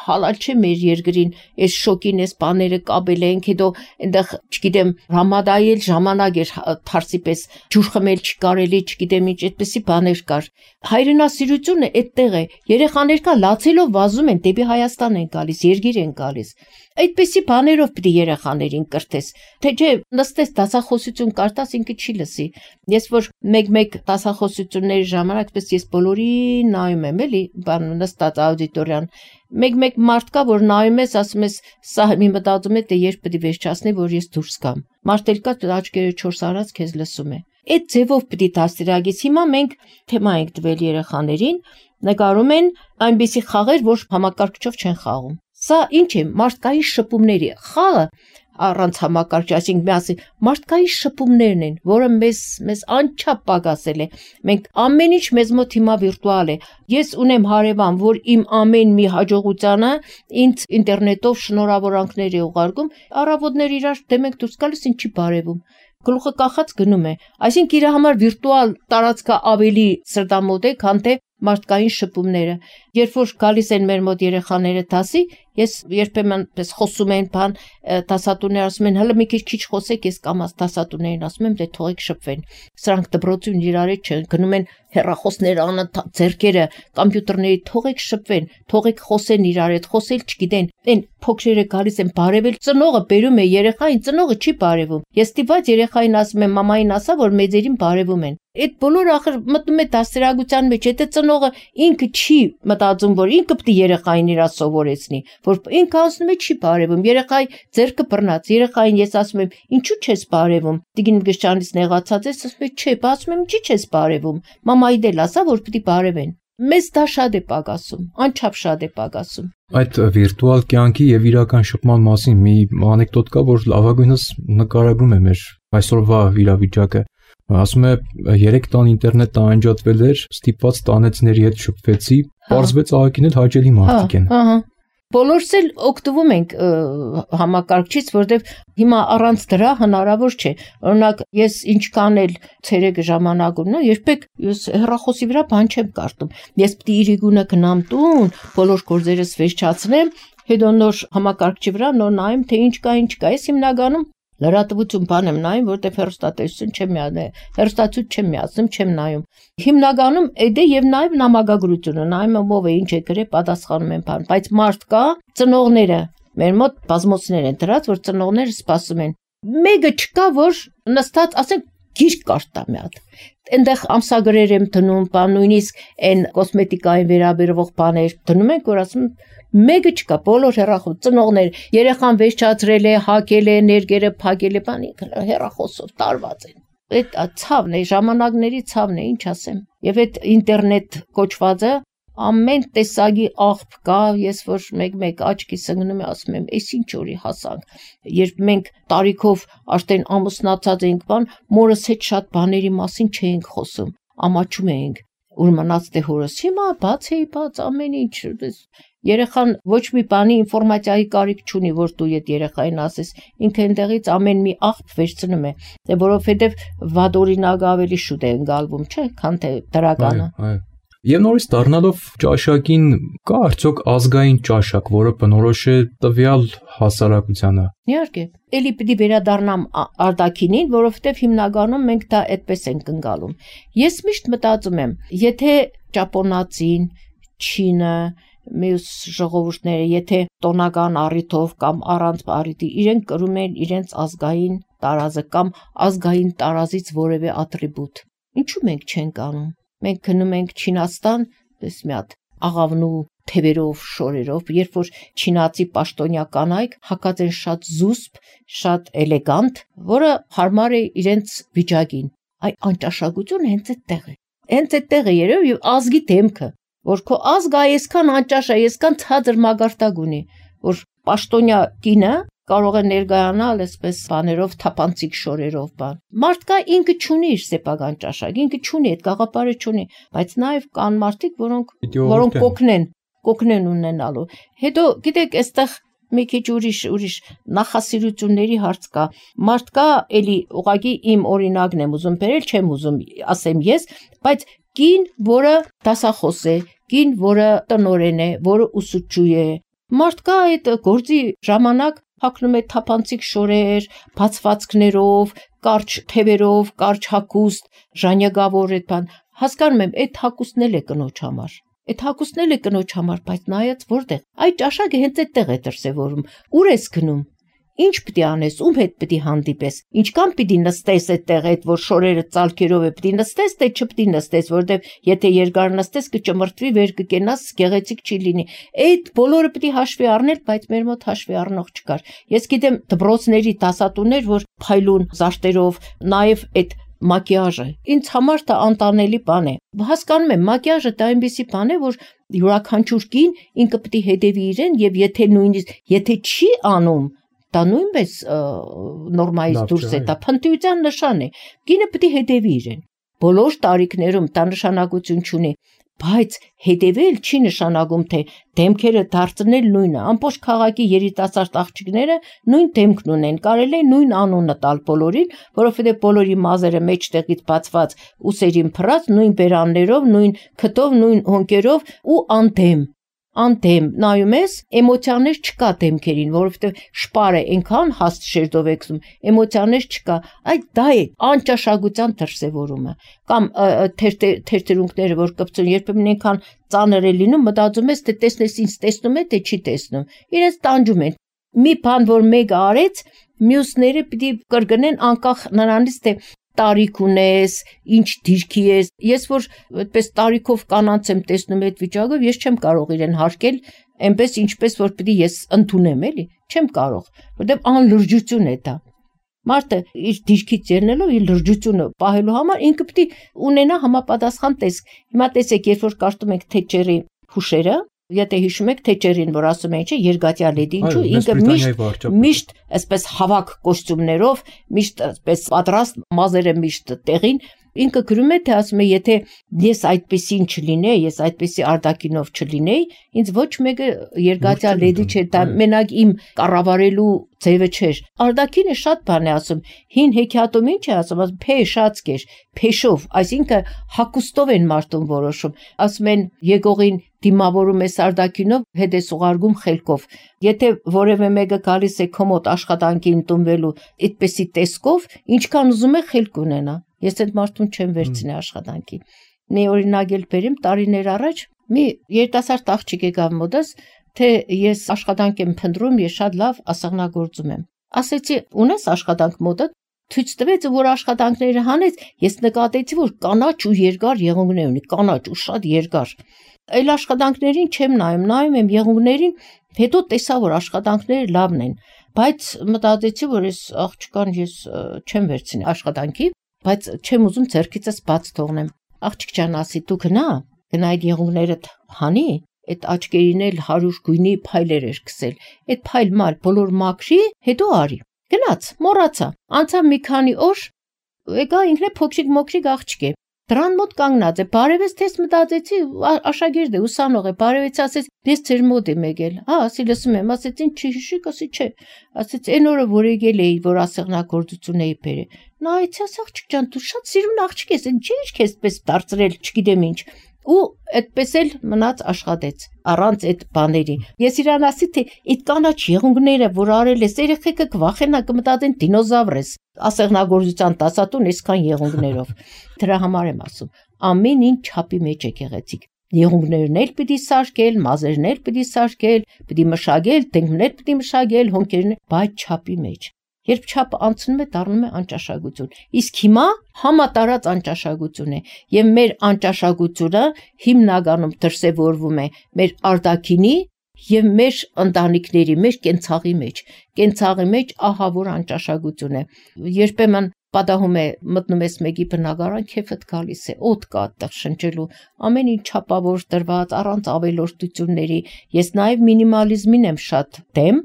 հալալ չէ մեր երկրին այս շոկին այս բաները կապել ենք հետո այնտեղ չգիտեմ Ռամադայել ժամանակ էր թարսի պես ջուր խմել չկարելի, չգիտեմ ինչ, այդպեսի բաներ կար։ Հայրենասիրությունը այդտեղ է։ Երեխաներ կա լացելով վազում են դեպի Հայաստան են գալիս, երգիր են գալիս։ Այդպեսի բաներով պիտի երեխաներին կրթես։ Թե չէ նստես դասախոսություն կարտաս ինքը չի լսի։ Ես որ մեկ դասախոսությունների ժամանակ պես ես բոլորին նայում եմ, էլի, բան նստած աուդիտորիան։ Մեկ մարդ կա, որ նայում ես, ասում ես, սա մի մտածում է, թե երբ պետք է վերջացնի, որ ես դուրս գամ։ Մարդ էլ կա, աչքերը 4 արած քեզ լսում է։ Այդ ձևով պիտի դաստիարակես։ Հիմա մենք թեմա ենք տվել երեխաներին, նկարում են այնպիսի խաղեր, որ համակարգչով չեն խաղում։ Սա ինչ է, մարդկային շփումների խաղը առանց համակարգչի, այսինքն միասին մարդկային շփումներն են, որը մեզ անչափ պակասել է։ Մենք ամեն ինչ մեզ մոտ հիմա վիրտուալ է։ Ես ունեմ հարևան, որ իմ ամեն մի հաջողությանը ինձ ինտերնետով շնորհավորանքներ է ուղարկում, առավոտներ իրար դեմ ենք դուրս գալիս, ինչի բարևում։ Գլուխը կախած գնում է։ Այսինքն իր համար վիրտուալ տարածքը ավելի սրտամոտ է, քան թե մարդկային շփումները։ Երբ որ գալիս են մեր մոտ երեխաները դասի, ես երբեմն պես խոսում են բան, դասատուները ասում են, հələ մի քիչ խոսեք, ես կամաց դասատուներին ասում եմ, դե թողեք շփվեն։ Սրանք դպրոցին իրար չեն, գնում են հեռախոսներ անընդհատ ձեռքերը, կոմպյուտերների, թողեք շփվեն, թողեք խոսեն իրար հետ, խոսել չգիտեն։ Այն փոքրերը գալիս են բարևել, ծնողը բերում է երեխային, ծնողը չի բարևում։ Ես ստիպված երեխային ասում եմ, մամային ասա, որ մեծերին բարևում են։ Այդ բոլորը ախր մտնում է դաստիարակության մեջ, եթե ծնողը ինքը չի մտածում, որ ինքը պետք է երեխային իրա սովորեցնի, որ ինքը ասում է չի բարևում, երեխայի ձեռքը բռնած, երեխային ես ասում եմ, ինչու չես բարևում։ Տիկին Գշյանից նեղացած ես, ասում է, չէ, ասում եմ, ինչի չես բարևում։ Մամայի դել ասա, որ պետք է բարևեն։ Մեզ դա շատ է պակասում, անչափ շատ է պակասում։ Այդ վիրտուալ կյանքի եւ իրական շփման մասին մի անեկդոտ կա, որ լավագույնս նկարագրում է մեր այսօրվա իրավիճակը։ Ասում է 3 տան ինտերնետը անջատվել էր, ստիպված տանեցների հետ շփվեցի, պարզվեց աղաքին էլ հաճելի մարդիկ են։ Բոլորս էլ օգտվում ենք համակարգչից, որտեղ հիմա առանց դրա հնարավոր չէ։ Օրինակ, ես ինչքան էլ ցերեկը ժամանակ ունեմ, երբեք ես հեռախոսի վրա բան չեմ կարդում։ Ես պիտի իրիկունը գնամ տուն, բոլոր գործերս վերջացնեմ, հետո նոր համակարգչի վրա նոր նայեմ, թե ինչ կա, ինչ կա։ Ես հիմնականում լրատվություն բան եմ նայում, որտեղ հեռուստատեսություն չեմ միանում, հեռուստացույց չեմ միացնում, չեմ նայում։ Հիմնականում էդե եւ նաեւ նամակագրությունը նայում եմ ով է ինչ է գրել, պատասխանում եմ բան, բայց մարդ կա, ծնողները մեր մոտ բազմոցներ են դրած, որ ծնողները սպասում են։ Մեկը չկա, որ նստած, ասենք, գիրք կարդա մի հատ։ Այնտեղ ամսագրեր եմ դնում, բան նույնիսկ այն կոսմետիկային վերաբերվող բաներ դնում ենք, որ ասում մեկը չկա, բոլոր հեռախոս ծնողներ, երեխան վերջացրել է, հակել է, ներգերը փակել է, բանի հեռախոսով տարված են։ Այդ ցավն է, ժամանակների ցավն է, ինչ ասեմ։ Եվ այդ ինտերնետ կոչվածը ամեն տեսակի աղբ կա, ես որ մեկ աչքիս ընկնում եմ, ասում եմ, էս ինչ օրի հասանք։ Երբ մենք տարիքով արդեն ամուսնացած ենք, բան, մորս հետ շատ բաների մասին չէինք խոսում, ամաչում էինք, ուր մնաց դե հորս, հիմա բաց ամեն ինչ, երեխան ոչ մի բանի ինֆորմացիայի կարիք չունի, որ դու այդ երեխային ասես, ինքը այնտեղից ամեն մի աղբ վերցնում է, որովհետև վադօրինակը ավելի շուտ է ընկալվում, չէ, քան թե դրականը։ Եվ նորից դառնալով ճաշակին, կա արդյոք ազգային ճաշակ, որը բնորոշ է տվյալ հասարակությանը։ Իհարկե, էլի պիտի վերադառնամ արտաքինին, որովհետև հիմնականում մենք դա այդպես ենք ընկալում։ Ես միշտ մտածում եմ, եթե ճապոնացին, չինը, մյուս ժողովուրդները, եթե տոնական առիթով կամ առանց առիթի իրենք կրում են իրենց ազգային տարազը կամ ազգային տարազից որևէ ատրիբուտ, ինչու մենք չենք անում։ Մենք գնում ենք Չինաստան, պես մի հատ աղավնու թևերով, շորերով, երբ որ չինացի պաշտոնյա կանայք հակած են շատ զուսպ, շատ էլեգանտ, որը հարմար է իրենց վիճակին։ Այ անճաշակությունը հենց այդտեղ է։ Հենց այդտեղ է երևի եւ ազգի դեմքը, որ քո ազգը այսքան անճաշ է, այսքան ցածր մագարտակ ունի, որ պաշտոնյա կինը կարող է ներկայանալ այսպես բաներով, թափանցիկ շորերով բան։ Մարդկա ինքը չունի իր սեփական ճաշակ, ինքը չունի, այդ գաղափարը չունի, բայց նաև կան մարդիկ, որոնք կօգնեն ունենալու։ Հետո, գիտեք, այստեղ մի քիչ ուրիշ նախասիրությունների հարց կա։ Մարդկա էլի ուղղակի իմ օրինակն եմ ուզում բերել, չեմ ուզում ասեմ ես, բայց կին, որը դասախոս է, կին, որը տնօրեն է, որը ուսուցչու է։ Մարդկա այդ գործի ժամանակ հագնում է թափանցիկ շորեր, բացվածքներով, կարճ թևերով, կարճ հագուստ, ժանյակավոր այդ բան։ Հասկանում եմ, այդ հագուստն էլ է կնոջ համար։ Այդ հագուստն էլ է կնոջ համար, բայց նայած որտեղ։ Այդ ճաշակը հենց այդտեղ է դրսևորում։ Ուր ես գնում։ Ինչ պիտի անես, ում հետ պիտի հանդիպես։ Ինչքան պիտի նստես այդտեղ, այդ որ շորերը ծալքերով է, պիտի նստես, թե չպիտի նստես, որտեվ եթե երկար նստես կճմրթվի, վեր կկենաս, գեղեցիկ չի լինի։ Այդ բոլորը պիտի հաշվի առնել, բայց մեր մոտ հաշվի առնող չկար։ Ես գիտեմ դպրոցների դասատուներ, որ փայլուն զարդերով, նաև այդ մակիաժը ինձ համար դա անտանելի բան է։ Հասկանում եմ, մակիաժը դա այնպիսի բան է, որ յուրաքանչյուր կին ինքը պետք է հետևի իրեն եւ եթե չի անում, դա նույնպես նորմայից դուրս է, դա փնտիության նշան է։ Կինը պետք է հետևի իրեն։ Բոլոր տարիքներում դա նշանակություն չունի, բայց հետևել չի նշանակում, թե դեմքերը դարձնել նույնը։ Ամբողջ քաղաքի երիտասարդ աղջիկները նույն դեմքն ունեն, կարելի է նույն անունը տալ բոլորին, որովհետև բոլորի մազերը մեջտեղից բացված, ուսերին փռած, նույն բերաններով, նույն քթով, նույն հոնկերով ու անդեմ նայում ես, էմոցիաներ չկա դեմքերին, որովհետև շպարը այնքան հաստ շերտով է գցում, էմոցիաներ չկա, այդ դա է անճաշակության դրսևորումը, կամ թերթերունքները, որ կպցούν, երբեմն այնքան ծանր է լինում, մտածում ես, թե տեսնես ինձ տեսնում է, թե չի տեսնում, իրենց տանջում են, մի բան, որ մեկը արեց, մյուսները պիտի կրկնեն անկախ նրանից, թե տարիք ունես, ինչ դիրքի ես, ես որ այդպես տարիքով կանանց եմ տեսնում այդ վիճակով, ես չեմ կարող իրեն հարկել, այնպես ինչպես որ պիտի ես ընդունեմ, էլի, չեմ կարող, որտեղ անլրջություն է դա։ Մարդը իր դիրքից ելնելով իր լրջությունը պահելու համար ինքը պիտի ունենա համապատասխան տեսք։ Հիմա տեսեք, երբ որ կարդում ենք Թետչերի հուշերը, եթե հիշում եք Թետչերին, որ ասում են, չէ, երկաթյա լեդի, ինչու ինքը միշտ այսպես հավաք կոստյումներով, միշտ այսպես պատրաստ, մազերը միշտ տեղին, ինքը գրում է, թե ասում է, եթե ես այդպեսին չլինեի, ես այդպեսի արտակինով չլինեի, ինձ ոչ մեկը երկաթյա լեդի չէր, դա մենակ իմ կառավարելու ձևը չէր։ Արտակինը շատ բան է ասում, հին հեքիաթում ինչ է ասում, փեշացկեր, փեշով, այսինքն հակուստով են մարդուն որոշում, ասում են եկողին դիմավորում ես արտակինով, հետ ես ուղարկում խելքով։ Եթե որևէ մեկը գալիս է քո մոտ աշխատանքի ընդունվելու այդպեսի տեսքով, ինչքան ուզում է խելք ունենա։ Ես այդ մարդուն չեմ վերցնի աշխատանքի։ Մի օրինակ էլ բերեմ, տարիներ առաջ մի երիտասարդ աղջիկ եկավ մոտս, թե ես աշխատանք եմ փնտրում, ես շատ լավ ասեղնագործում եմ։ Ասեցի, ունես աշխատանք մոտդ, ցույց տվեց, որ աշխատանքները հանեց, ես նկատեցի, որ կանաչ ու երկար եղունգներ ունի, կանաչ ու շատ երկար։ Այլ աշխատանքներին չեմ նայում եմ եղունգներին, հետո տեսա, որ աշխատանքները լավն են, բայց մտածեցի, որ այս աղջկան ես չեմ վերցնի աշխատանքի, բայց չեմ ուզում ձեռքիցս բաց թողնեմ։ Աղջիկ ջան, ասի, դու գնա այդ եղունգներդ հանի, այդ աչքերին էլ 100 գույնի փայլեր էր գցել, այդ փայլ մալ բոլոր մաքրի, հետո արի։ Գնաց, մոռացա, անցավ մի քանի օր, եկա ինքն է փոքրիկ աղջիկ է։ Դրան մոտ կանգնած է, բարևեց, թես մտածեցի, աշակերտ է, ուսանող է, բարևեց, ասեց, ես ձեր մոտ եմ եկել։ Ասի, լսում եմ, ասեց, ինչ չհիշիկ, ասի, չէ։ Ասեց, այն օրը, որ եկել էի, որ ասեղնագործություն էի բերել։ Նա այցած աղջիկ ջան, դու շատ սիրուն աղջիկ ես, ինչ է քեզ պես դարձրել, չգիտեմ ինչ։ Ու այդպես էլ մնաց աշխատեց առանց այդ բաների։ Ես իրան ասի, թե այդ կանաչ եղունգները, որ արել ես, երեխեքը կվախենա, կմտածեն դինոզավր ես, ասեղնագործության դասատուն այսքան եղունգներով։ Դրա համար եմ ասում, ամեն ինչ չափի մեջ է գեղեցիկ։ Եղունգներն էլ պիտի սարքել, մազերն էլ պիտի սարքել, պիտի մշակել, դեմքներ պիտի մշակել, հոնքերն, բայց չափի մեջ։ Երբ չափը անցնում է, դառնում է անճաշակություն։ Իսկ հիմա համատարած անճաշակություն է, եւ մեր անճաշակությունը հիմնականում դրսևորվում է մեր արտաքինի եւ մեր ընտանիքների, մեր կենցաղի մեջ։ Կենցաղի մեջ ահա որ անճաշակություն է։ Երբեմն պատահում է մտնում ես մեկի բնակարան, քեֆդ գալիս է, օդ կա այդտեղ շնչելու, ամեն ինչ չափավոր տրված, առանց ավելորդությունների։ Ես նաև մինիմալիզմին եմ շատ դեմ,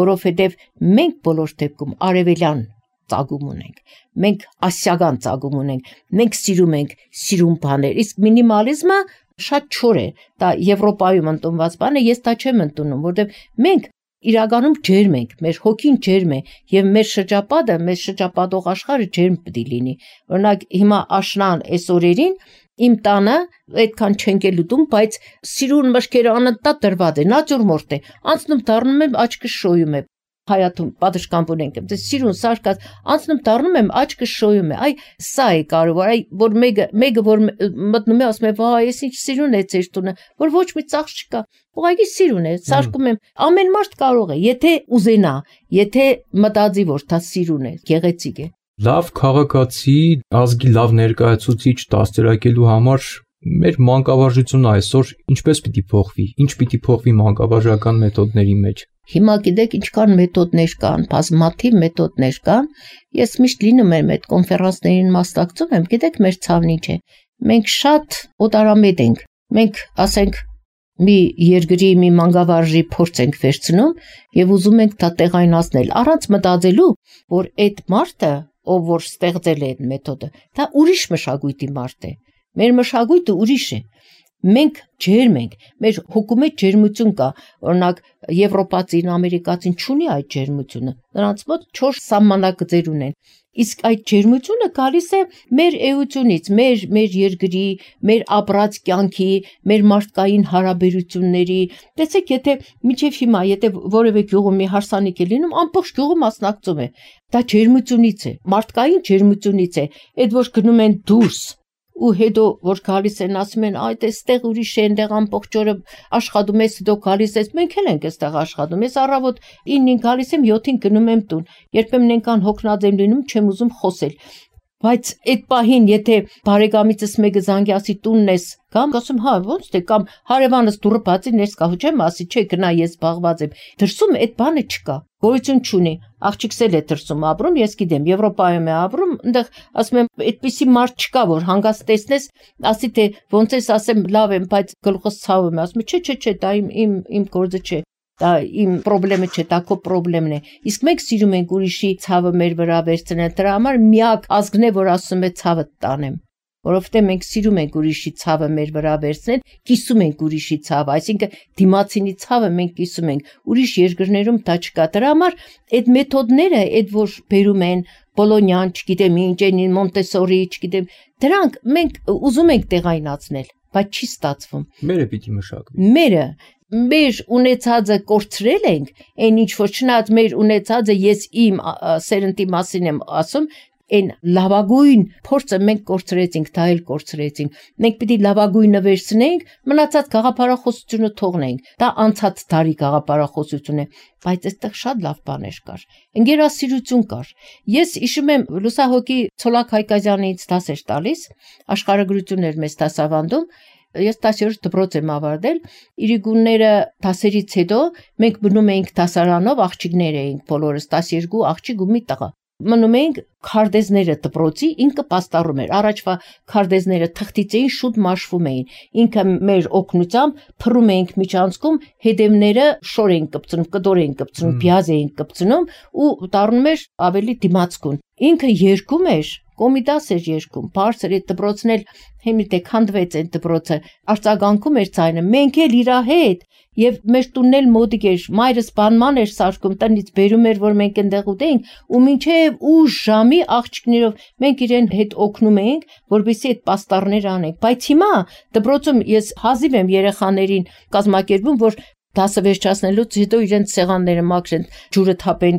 որովհետև մենք բոլոր դեպքում արևելյան ծագում ունենք, մենք ասիական ծագում ունենք, մենք սիրում ենք սիրուն բաներ, իսկ մինիմալիզմը շատ չոր է, դա Եվրոպայում ընդունված բան է, ես դա չեմ ընդունում, որովհետև մենք իրականում ջերմ ենք, մեր հոգին ջերմ է եւ մեր շրջապատը, մեր շրջապատող աշխարհը ջերմ պետք է լինի։ Օրինակ հիմա աշնան այս օրերին իմ տանը այդքան չենք էլ ուտում, բայց սիրուն մշկերը անընդհատ դրված է, նատյուրմորտ է, անցնում դառնում եմ աչքս շոյում է։ Հայաթում պատշգամբ ունենք, դες սիրուն սարկած, անցնում դառնում եմ աչքս շոյում է։ Այ սա է կարևոր, այ որ մեկը որ մտնում է ասում է, վայ, ես ինչ սիրուն է ձեր տունը, որ ոչ մի ծախս չկա։ Ուղղակի սիրուն է, սարկում եմ։ Ամեն մարդ կարող է, եթե ուզենա, եթե մտածի, որ դա սիրուն է, գեղեցիկ է։ Լավ քաղաքացի, ազգի լավ ներկայացուցիչ դաստիարակելու համար մեր մանկավարժությունը այսօր ինչպես պիտի փոխվի, ինչ պիտի փոխվի մանկավարժական մեթոդների մեջ։ Հիմա գիտեք ինչքան մեթոդներ կան, բազմաթիվ մեթոդներ կան։ Ես միշտ լինում եմ այդ կոնֆերանսներին մասնակցում եմ, գիտեք մեր ցավն ինչ է։ Մենք շատ օտարամետ ենք։ Մենք ասենք մի երկրի մի մանկավարժի փորձ ենք վերցնում եւ ուզում ենք դա տեղայնացնել, առանց մտածելու, որ այդ մարդը, ով որ ստեղծել է այդ մեթոդը, դա ուրիշ մշակույթի մարդ է։ Մեր մշակույթը ուրիշ է։ Մենք ջերմ ենք, մեր հոգում մեջ ջերմություն կա, օրինակ Եվրոպացին, ամերիկացին չունի այդ ջերմությունը, նրանց մոտ 4 սահմանակներ ունեն, իսկ այդ ջերմությունը գալիս է մեր էությունից, մեր երկրի, մեր ապրած կյանքի, մեր մարդկային հարաբերությունների, տեսեք, եթե մինչև հիմա, եթե որևէ գյուղում մի հարսանիք է լինում, ամբողջ գյուղը մասնակցում է, դա ջերմությունից է, մարդկային ջերմությունից է, այդ որ գնում են դուրս ու հետո որ գալիս են ասում են այդ էստեղ ուրիշ է, այնտեղ ամբողջ օրը աշխատում ես, հետո գալիս ես, մենք էլ ենք էստեղ աշխատում, ես առավոտ 9-ին գալիս եմ, 7-ին գնում եմ տուն, երբեմն այնքան հոգնած եմ լինում, չեմ ուզում խոսել, բայց այդ պահին եթե բարեկամիցս մեկը զանգի ասի տունն ես, կամ ասում հա ոնց թե կամ հարևանս դուրը բացի ներս կա, չեմ ասի, չէ գնա ես զբաղված եմ, դրսում այդ բանը չկա, գոյություն չունի, աղջիկս էլ է դրսում ապրում, ես գիտեմ, Եվրոպայում է ապրում, այնտեղ ասում եմ, այդպիսի մարդ չկա, որ հանգած տեսնես, ասի թե ոնց ես ասեմ, լավ եմ, բայց գլուխս ցավում է, ասում չէ, դա իմ գործը չէ, դա իմ խնդրեմը չէ, դա քո խնդրեմն է, իսկ մենք սիրում ենք ուրիշի ցավը մեր վրա վերցնել, դրա համար միակ ազգն է, որ ասում է ցավը տանեմ, որովհետև մենք սիրում ենք ուրիշի ցավը մեր վրա վերցնել, կիսում ենք ուրիշի ցավը, այսինքն դիմացինի ցավը մենք կիսում ենք, ուրիշ երկրներում դա չկա, դրա համար այդ մեթոդները, այդ որ բերում են Բոլոնյան, չգիտեմ ինչ, Մոնտեսորի, չգիտեմ, դրանք մենք ուզում ենք տեղայնացնել, բայց չի ստացվում։ Մերը պիտի մշակվի։ Մեր ունեցածը կորցրել ենք, այն ինչ որ չնայած մեր ունեցածը ես իմ սերնդի մասին եմ ասում, այն լավագույն փորձը մենք կորցրեցինք, դա էլ կորցրեցինք։ Մենք պիտի լավագույնը վերցնենք, մնացած գաղափարախոսությունը թողնենք։ Դա անցած տարի գաղափարախոսություն է, բայց այստեղ շատ լավ բաներ կար։ Ընկերասիրություն կար։ Ես հիշում եմ լուսահոգի Ցոլակ Հայկազյանից դաս էր տալիս, աշխարհագրություններ մեզ դասավանդում։ Ես 10-րդ դպրոց եմ ավարտել, իրիկունները դասերից հետո մենք մնում էինք դասարանով, աղջիկներ էինք բոլորս, 12 աղջիկ ու մի տղա։ Մնում էինք քարտեզները դպրոցի, ինքը պաստառում էր, առաջվա քարտեզները թղթից էին, շուտ մաշվում էին, ինքը մեր օգնությամբ փռում էինք միջանցքում, հետևները շոր էին կպցնում, կդոր էին կպցնում, բիազ էին կպցնում ու դառնում էր ավելի դիմացկուն։ Ինքը երգում էր, կոմիտաս էր երգում, բարձր այդ դպրոցն էլ հիմի թե քանդվեց այդ դպրոցը, արձագանքում էր ցայնը, մենք էլ իրա հետ եւ մեր տունն էլ մոտիկ էր, մայրս բանման էր սարքում, տնից բերում էր, որ մենք այնտեղ ուտեինք ու մինչեւ 8 ժամի աղջիկներով մենք իրեն հետ օգնում էինք, որպեսզի այդ պաստառներ անենք, բայց հիմա դպրոցում ես հազիվ եմ երեխաներին կազմակերպում, որ դասը վերջացնելուց հետո իրենց սեղանները մաքրեն, ջուրը թափեն,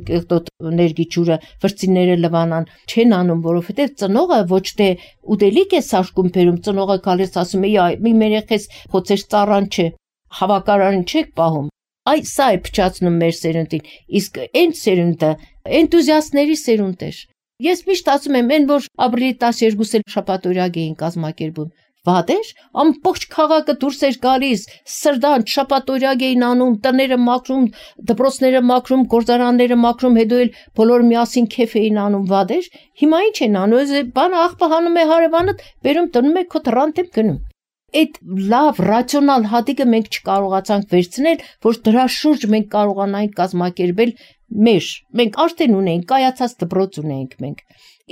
ներգի ջուրը, վրձինները լվանան, չեն անում, որովհետև ծնողը ոչ թե ուտելիք է սարքում բերում, ծնողը գալիս ասում է, մի մեր երեխես խոցեր ծառան չէ, հավաքարարին չեք պահում։ Այ սա է փչացնում մեր սերունդին, իսկ այն սերունդը էնտուզիաստների սերունդ էր։ Ես միշտ ասում եմ, այն որ ապրիլի 12-ը շաբաթօրյակ էին կազմակերպում, վատ էր, ամբողջ քաղաքը դուրս էր գալիս, սրդանց շաբաթօրյակ էին անում, տները մաքրում, դպրոցները մաքրում, գործարանները մաքրում, հետո էլ բոլոր միասին քեֆ էին անում, վատ էր։ Հիմա ինչ են անում, բանը աղբը հանում է հարևանդ, բերում տնում է քո թռանտ եմ գնում։ Այդ լավ ռացիոնալ հատիկը մենք չկարողացանք վերցնել, որ դրա շուրջ մենք կարողանանք կազմակերպել մենք արդեն ունենք, կայացած դպրոց ունենք մենք։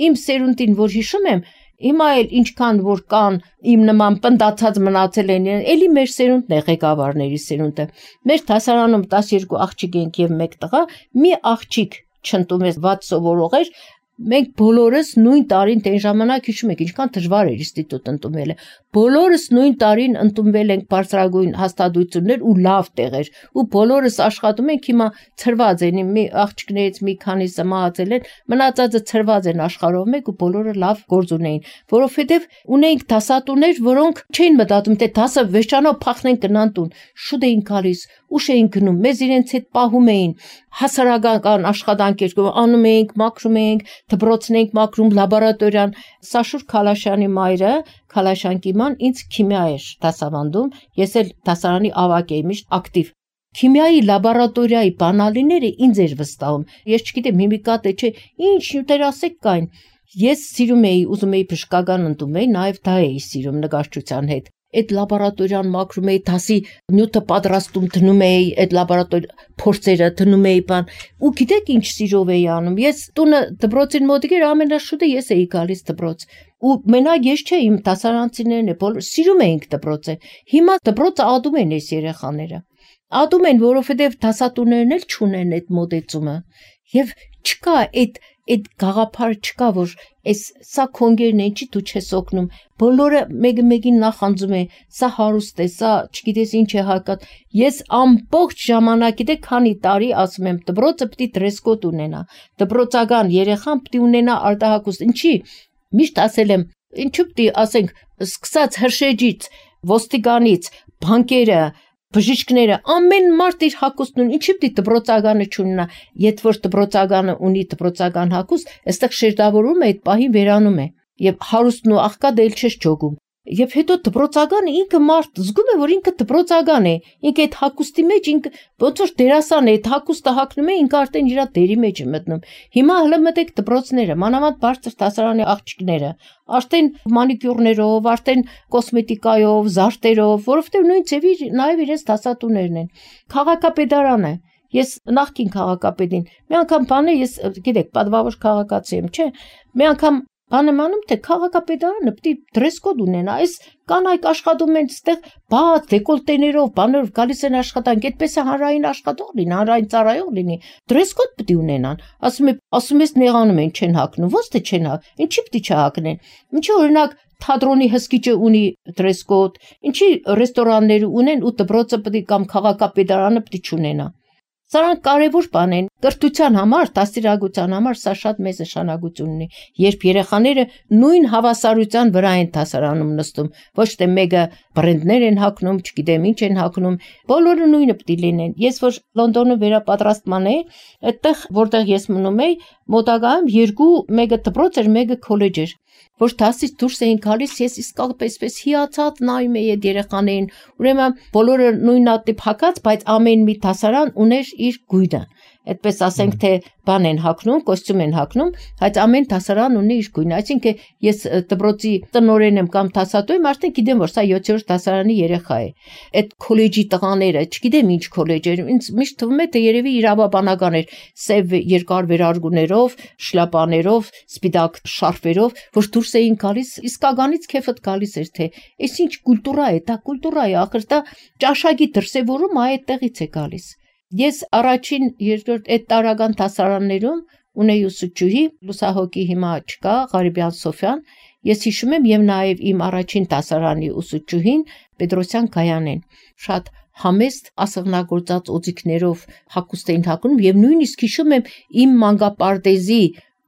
Իմ սերունդին, որ հիշում եմ, հիմա էլ ինչքան որ կան իմ նման պնդացած մնացել են, էլի մեր սերունդն է ղեկավարների սերունդը։ Մեր դասարանում 12 աղջիկ ենք եւ 1 տղա, մի աղջիկ չընդունում է վատ սովորող էր, մենք բոլորս նույն տարին դեն ժամանակ հիշում եք ինչքան դժվար էր ինստիտուտ ընդունելը։ Բոլորս նույն տարին ընդունվել ենք բարձրագույն հաստատություններ ու լավ տեղեր ու բոլորս աշխատում ենք հիմա ծրված են մի աղջիկներից մի քանիսը մահացել են մնացածը ծրված են աշխարհով մեկ ու բոլորը լավ գործ ունեին որովհետև ունեինք դասատուներ որոնք չէին մտածում թե դասը վերջանով փախնեն գնան տուն շուտ էին գալիս ուշ էին գնում մեզ իրենց հետ պահում էին հասարակական աշխատանքեր անում էինք մաքրում էինք դպրոցն էինք մաքրում լաբորատորիան Սաշուր Քալաշյանի մայրը Քալաշյան կիման ինձ քիմիա էր դասավանդում ես էլ դասարանի ավագ էի միշտ ակտիվ քիմիայի լաբորատորիայի բանալիները ինձ էր վստահում։ Ես չգիտեմ հիմիկա թե չէ, ինչ նյութեր ասեք կային։ Ես սիրում էի, ուզում էի բժշկական ընդունել, նաև դա էի սիրում նկարչության հետ։ Այդ լաբորատորիան մաքրում էի, դասի նյութը պատրաստում դնում էի, այդ լաբորատորիա փորձերը դնում էի բան։ Ու գիտեք ինչ սիրով էի անում։ Ես տունը դպրոցին մոտ էր, ամենաշուտը ես էի գալիս դպրոց։ Ու մենակ ես չէի, իմ դասարանցիներն բոլոր սիրում էինք դպրոցը։ Հիմա դպրոցը ադում են այս երեխաները։ Ադում են, որովհետև դասատուներն էլ չունեն այդ մոտեցումը։ Եվ չկա այդ գաղափար չկա, որ սա քոնգերն են, չի դու չես օգնում։ Բոլորը մեկը մեկին նախանձում է, սա հարուստ է, սա չգիտես ինչ է հակած։ Ես ամբողջ ժամանակ, գիտեք, քանի տարի ասում եմ, դպրոցը պետք է դրես կոդ ունենա։ Դպրոցական երեխան պետք է ունենա արտահայտություն։ Ինչի՞ միշտ ասել եմ, ինչու պետք է ասենք, սկսած հրշեջից, ոստիկանից, բանկերը, բժիշկները, ամեն մարդ իր հագուստն ունի, ինչի՞ պետք է դպրոցականը չունենա, եթե որ դպրոցականը ունի դպրոցական հագուստ, այստեղ շերտավորում է, այդ պահին վերանում է, եւ հարուստն ու աղքատը էլ չես ճոգում։ Եվ հետո դպրոցականը ինքը մարդ զգում է, որ ինքը դպրոցական է, ինքը այդ հագուստի մեջ ինքը ոնց որ դերասան է, այդ հագուստը հագնում է, ինքը արդեն իր դերի մեջ է մտնում։ Հիմա հələ մտեք դպրոցները, մանավանդ բարձր դասարանի աղջիկները, արդեն մանիկյուրներով, արդեն կոսմետիկայով, զարդերով, որովհետև նույն ձևի նաև իրենց դասատուներն են։ Քաղաքապետարանը Ես նախքին քաղաքապետին մի անգամ բանը ես գիտեք պատվավոր քաղաքացի եմ, չէ՞։ Մի անգամ բան եմ անում, թե քաղաքապետարանը պետք է դրես կոդ ունենա, այս կանայք աշխատում են այստեղ բաց դեկոլտեներով, բաներով գալիս են աշխատանք, այդպես է հանրային աշխատող լինի, հանրային ծառայող լինի, դրես կոդ պետք է ունենան։ Ասում ես նեղանում են, չեն հագնում, ո՞նց թե չեն հագ, ինչի պետք է չհագնեն։ Ինչի օրինակ թատրոնի հսկիչը ունի դրես կոդ, ինչի ռեստորանները ունեն ու դպրոցը պետք է կամ քաղաքապետարանը պետք է չունենա։ Սրանք կարևոր բան են, կրթության համար, դաստիարակության համար սա շատ մեծ նշանակություն ունի, երբ երեխաները նույն հավասարության վրա են դասարանում նստում, ոչ թե մեկը բրենդներ են հագնում, չգիտեմ ինչ են հագնում, բոլորը նույնը պետք է լինեն։ Ես որ Լոնդոնում վերապատրաստման էի, այդտեղ որտեղ ես մնում էի, մոտակայքում երկու, մեկը դպրոց էր, մեկը քոլեջ էր, որ դասից դուրս էին գալիս, ես իսկապես հիացած նայում էի այդ երեխաներին, ուրեմն բոլորը նույնատիպ հագած, բայց ամեն մի դասարան ուներ իր գույնը։ Այդպես ասենք թե բան են հագնում, կոստյում են հագնում, բայց ամեն դասարան ունի իր գույնը։ Այսինքն ես դպրոցի տնօրեն եմ կամ դասատու եմ, արդեն գիտեմ որ սա 7-րդ դասարանի երեխա է։ Այդ քոլեջի տղաները, չգիտեմ ինչ քոլեջ էր, ինձ միշտ թվում է թե երևի իրավաբանական էր, սև երկար վերարգուներով, շլապաներով, սպիտակ շարֆերով, որ դուրս էին գալիս, իսկականից քեֆդ գալիս էր թե այս ինչ կուլտուրա է, դա կուլտուրա է, ախր դա ճաշակի դրսևորում այդտեղից է գալիս։ Ես առաջին, երկրորդ այդ տարական դասարաններում ունեի ուսուցչուհի, լուսահոգի հիմա չկա, Ղարիբյան Սոֆյան, ես հիշում եմ եւ նաեւ իմ առաջին դասարանի ուսուցչուհին Պետրոսյան Գայանեն, շատ համեստ ասեղնագործած օձիքներով հագուստ էին հագնում եւ նույնիսկ հիշում եմ իմ մանկապարտեզի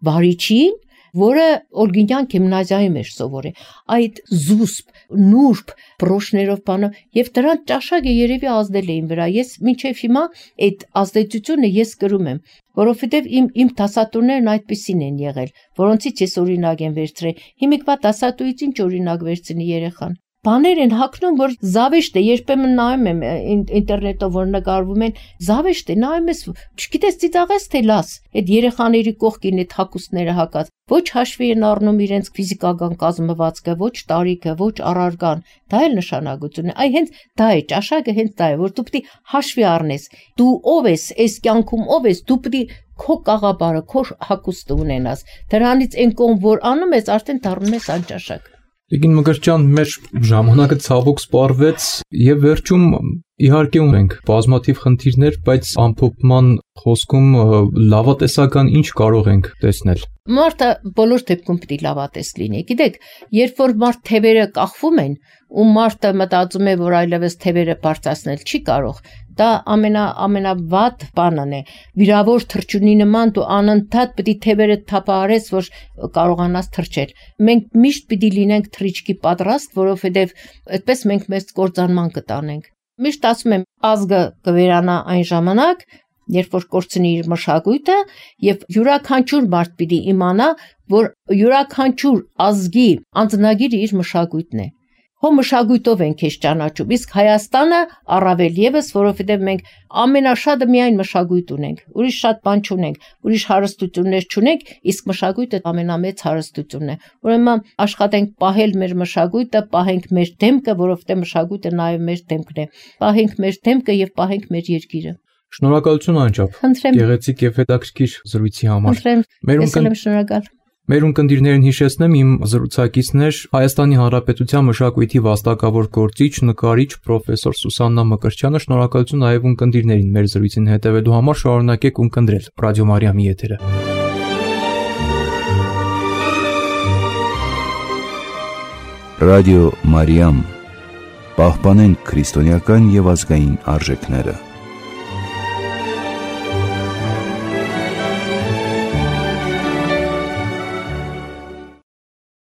վարիչին, որը Օլգինյան գիմնազիայում էր սովորել, այդ զուսպ, նուրբ բրոշներով բանով եւ դրան ճաշակը երևի ազդել էին վրա։ Ես մինչեւ հիմա այդ ազդեցությունը ես կրում եմ, որովհետեւ իմ դասատուներն այդպեսին են եղել, որոնցից ես օրինակ եմ վերցրել։ Հիմիկվա դասատուից ինչ օրինակ վերցնի երեխան։ Բաներ են հագնում, որ զավեշտ է, երբեմն նայում եմ ինտերնետով, որ նկարվում են, զավեշտ է, նայում ես, չգիտես ծիծաղես թե լաս, այդ երեխաների կողքին այդ հագուստները հագած, ոչ հաշվի են առնում իրենց ֆիզիկական կազմվածքը, ոչ տարիքը, ոչ առարգան, դա էլ նշանակություն է, այ հենց դա է, ճաշակը հենց դա է, որ դու պետք է հաշվի առնես, դու ով ես, այս կյանքում ով ես, դու պետք է քո կաղապարը, քո հագուստը ունենաս, դրանից այն կողմ, որ անում ես, արդեն դառնում ես անճաշակ։ Տիկին Մկրտչյան, մեր ժամանակը ցավոք սպառվեց եւ վերջում իհարկե ունենք բազմաթիվ խնդիրներ, բայց ամփոփման խոսքում լավատեսական ինչ կարող ենք տեսնել։ Մարդը բոլոր դեպքում պետք է լավատես լինի։ Գիտեք, երբ որ մարդ թևերը կախվում են, ու մարդը մտածում է, որ այլևս թևերը բարձրացնել չի կարող, դա ամենավատ բանն է։ Վիրավոր թռչունի նման դու անընդհատ պետք է թևերը թափահարես, որ կարողանաս թռչել։ Մենք միշտ պետք է լինենք թռիչքի պատրաստ, որովհետև այդպես մենք մեծ կործանման կտանենք։ Միշտ ասում եմ, ազգը կվերանա այն ժամանակ, երբ որ կորցնի իր մշակույթը, եւ յուրաքանչյուր մարդ պիտի իմանա, որ յուրաքանչյուր ազգի անձնագիրը իր մշակույթն է։ հո մշակույթով ենք քեզ ճանաչում, իսկ Հայաստանը առավել եւս, որովհետեւ մենք ամենաշատը միայն մշակույթ ունենք, ուրիշ շատ բան չունենք, ուրիշ հարստություններ չունենք, իսկ մշակույթը ամենամեծ հարստությունն է։ Ուրեմն աշխատենք պահել մեր մշակույթը, պահենք մեր դեմքը, որովհետեւ մշակույթը նաեւ մեր դեմքն է։ Պահենք մեր դեմքը եւ պահենք մեր երկիրը։ Շնորհակալություն անչափ։ Գեղեցիկ եւ հետաքրքիր զրույցի համար։ Շնորհակալ։ Մեր ունկնդիրներին հիշեցնեմ, իմ զրուցակիցներ Հայաստանի Հանրապետության մշակույթի վաստակավոր գործիչ, նկարիչ պրոֆեսոր Սուսաննա Մկրտչյանը։ Շնորհակալություն նաև ունկնդիրներին մեր զրույցին հետևելու համար, շարունակեք ունկնդրել Ռադիո Մարիամի եթերը։ Ռադիո Մարիամ, պահպանենք քրիստոնեական եւ ազգային արժեքները։